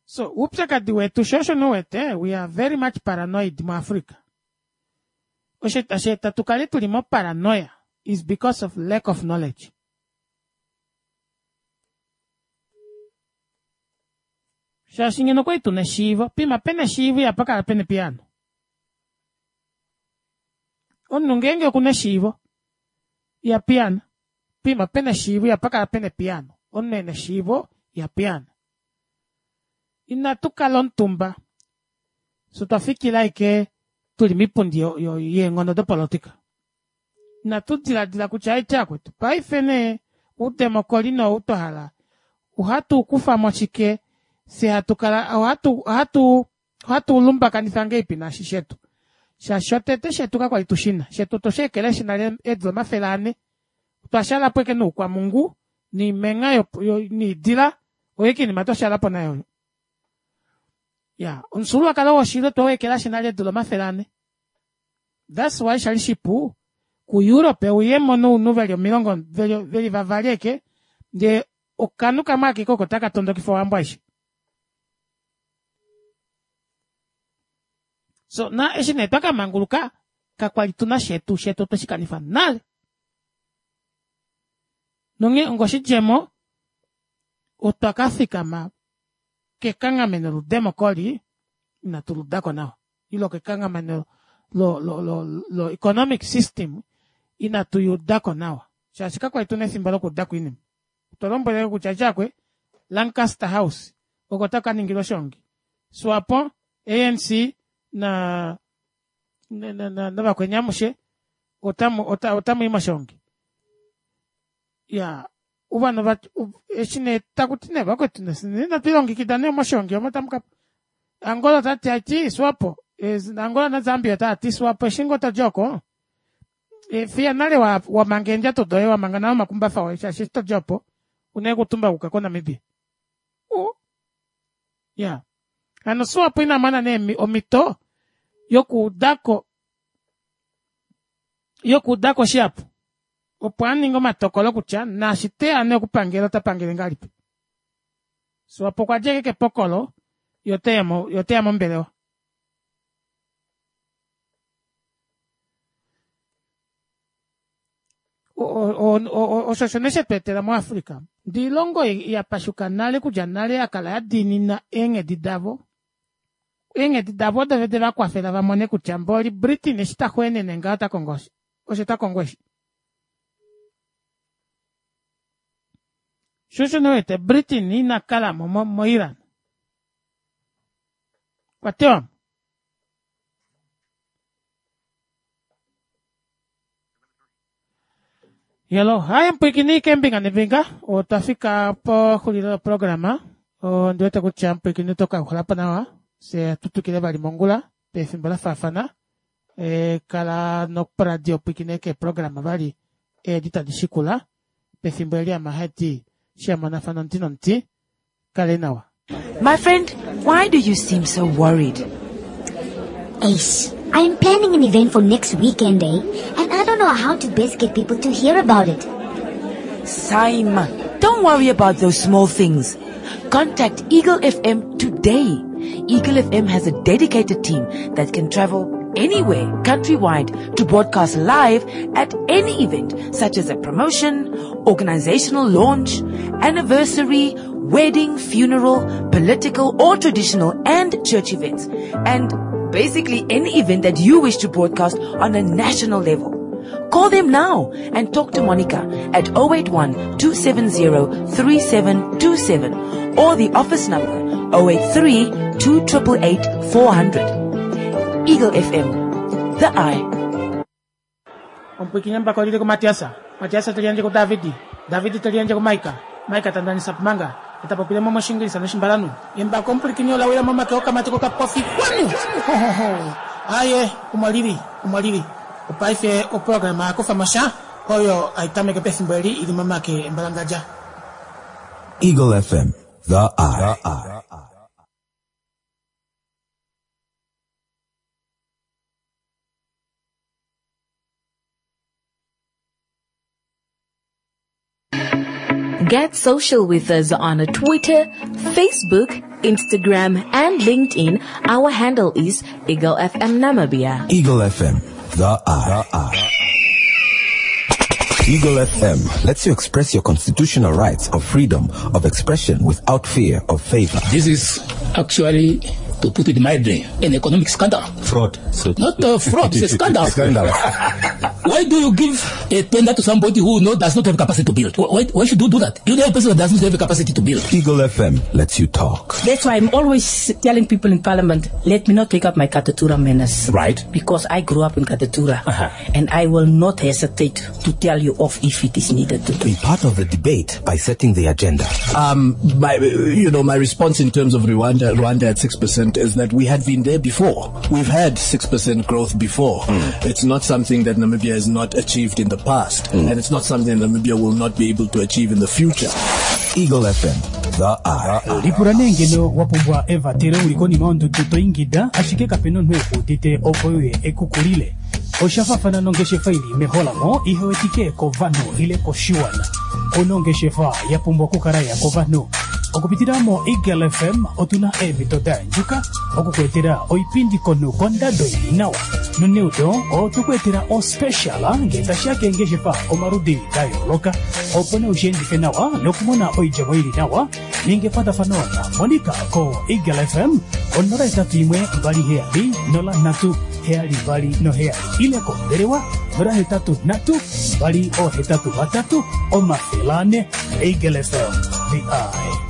So oupyakadi wetu sho osho nouwete we are very much paranoid muAfrica. Osho tashi eta tukale tuli moparanoia is because of lack of knowledge. Shaashi ngeno okwali tuna eshiivo, pima pena eshiivo ihapa kala pena epiyaano. Omunhu ngeenge okuna eshiivo iha piyaana. Pima pena eshiivo ihapa kala pena epiyaano. Omunhu ena eshiivo iha piyaana. Inatu kala omutumba fye twa fikila ashike tuli mipundi yeenghono dopolotika. Inatu diladila kutya aite akwetu paife nee oudemokoli nou twa hala ohatu kufa mo shike fye hatu kala ohatu ohatu ohatu lumbakanifa ngahelipi naashi shetu. Shaashi shotete shetu kakwali tushina shetu otwe shi ekeleshi nale eedula 400 otwa shalapo ashike noukwamungu niimenga niidila oyo ashike oinima twa shalapo nayo oyo. Ya, omufyuululwakalo woshili otwe u ekelashi nale eedula 400. That's why shali shipu kuEurope uyemo nounhu veli omilongo veli vavali eke ndee okanhu kamwe akeke oko taka tondokifa ohambo aishe. So na eshi nee twa ka manguluka kakwali tuna shetu, shetu otwe shi kanifa nale. Nonghee ongoshidjemo otwa ka fikama kekanghameno ludemokoli inatu ludako nawa ile kekanghameno lo, lo, lo, lo economic system inatu yudako nawa shaashi kakwali tuna efimbo lokuudako oinima. Otwa lombwelele kutya djakwe Lancaster House oko taka ningilwa oshoongi SWAPO, ANC na navakweni amushe otamu ota, otamu i moshoongi. Ya ovanhu va eshi nee taku ti nee vakwetu natu ilongekida nee moshoongi omo tamu ka Angola ota ti ati SWAPO Angola na Zambia ota ti SWAPO eshi ngoo todja oko fiya nale wa, wa manga eendjato doye wa manga nale omakumbafa oye shaashi eshi todja opo una okutumba kuka koNamibia. U ya hano SWAPO ina mona nee omhito yokuudako yokuudako shihapu opo a ninge omatokolo kutya naashi teya nee okupangela ota pangele ngahelipi. SWAPO okwa dja ashike kepokolo ye oteya mombelewa. Osho osho nee shetu etela muAfrica. Ndee oilongo ya pashuka nale okudja nale ya kala ya diinina eenghedi davo. Eenghedi davo odo de va kwafela va mone kutya mboli Britain eshi ta xweenene ngaho ota kongo osho ta kongo eshi. Sho osho nee wete Britain ina kala mo moIran. Okwa tewa mo. Yelo, haye mpwikini keembinga nembinga, otwa fika pexulilo loprograma. Ondi wete kutya mpwikini oto ka uhala po nawa, fye tu twikile vali mongula pefimbo la faafana. E, kala noporadio pwikine keeprograma vali edi tadi shikula pefimbo eli amahati shiamonafana omuti nomuti. Kale nawa. My friend, why do you seem so worried? Ace, I'm planning an event for next weekend, eh? And I don't know how to best get people to hear about it. Saima, don't worry about those small things. Contact Eagle FM today. Eagle FM has a dedicated team that can travel anywhere countrywide to broadcast live at any event such as a promotion, organizational launch, anniversary, wedding, funeral, political or traditional and church events. And basically any event that you wish to broadcast on a national level. Call them now and talk to Monica at 081 270 3727 or the office number 083 2888 400. Eagle FM, the eye. Omupwiikini embako lili kuMatiasa, Matiasa te liyandje kuDavidi, Davidi te liyandje kuMaika, Maika ta ndanisa pumanga, ye ta popile mo mOshiingilisa nOshimbalanhu. Embako omupwilikini ola wila momake okamati kokapofi kwanu! Hohoho! Aaye, omo lili, omo lili. Opaife oprograma ya kufa mo sha oyo hai tameke pefimbo eli i li momake embalangadja. Eagle FM, the eye. Get social with us on Twitter, Facebook, Instagram, and LinkedIn. Our handle is Eagle FM Namibia. Eagle FM, the eye. Eagle FM lets you express your constitutional rights of freedom of expression without fear of favor. This is actually, to put it mildly, an economic scandal. Fraud. So Not a fraud, it's a scandal. Scandal. Why do you give a tender to somebody who does not have capacity to build? Why should you do that? You know a person that does not have a capacity to build. Eagle FM lets you talk. That's why I'm always telling people in Parliament, let me not take up my Katutura manners. Right. Because I grew up in Katutura. And I will not hesitate to tell you off if it is needed to do. Be part of the debate by setting the agenda. My response in terms of Rwanda at 6% is that we had been there before. We've had 6% growth before. It's not something that Namibia has not achieved in the past, and it's not something that Namibia will not be able to achieve in the future. Eagle FM, the eye. Lipula nee ngeno wa pumbwa evatelo u li konima yondudu to ingida, ashike kape na omunhu e ku udite opo e uye e ku kulile. Osha faafana nongeshefa i li meholamo ihe wetike kovanhu ile koshiwana. Ouna ongeshefa ya pumbwa okukala ya kovanhu. Okupitila moEagle FM otu na eemhito da yandjuka oku ku etela oipindi konhu kondado i li nawa. Noneudo otwe ku etela ospecial ngee tashi ya keengeshefa omaludi da yooloka. Opo nee ushi endife nawa nokumona oidjemo i li nawa, ninga ekwatafano naMonica koEagle FM ko 081 27 03 72 ile kombelewa 083 283 400. Eagle FM, the eye.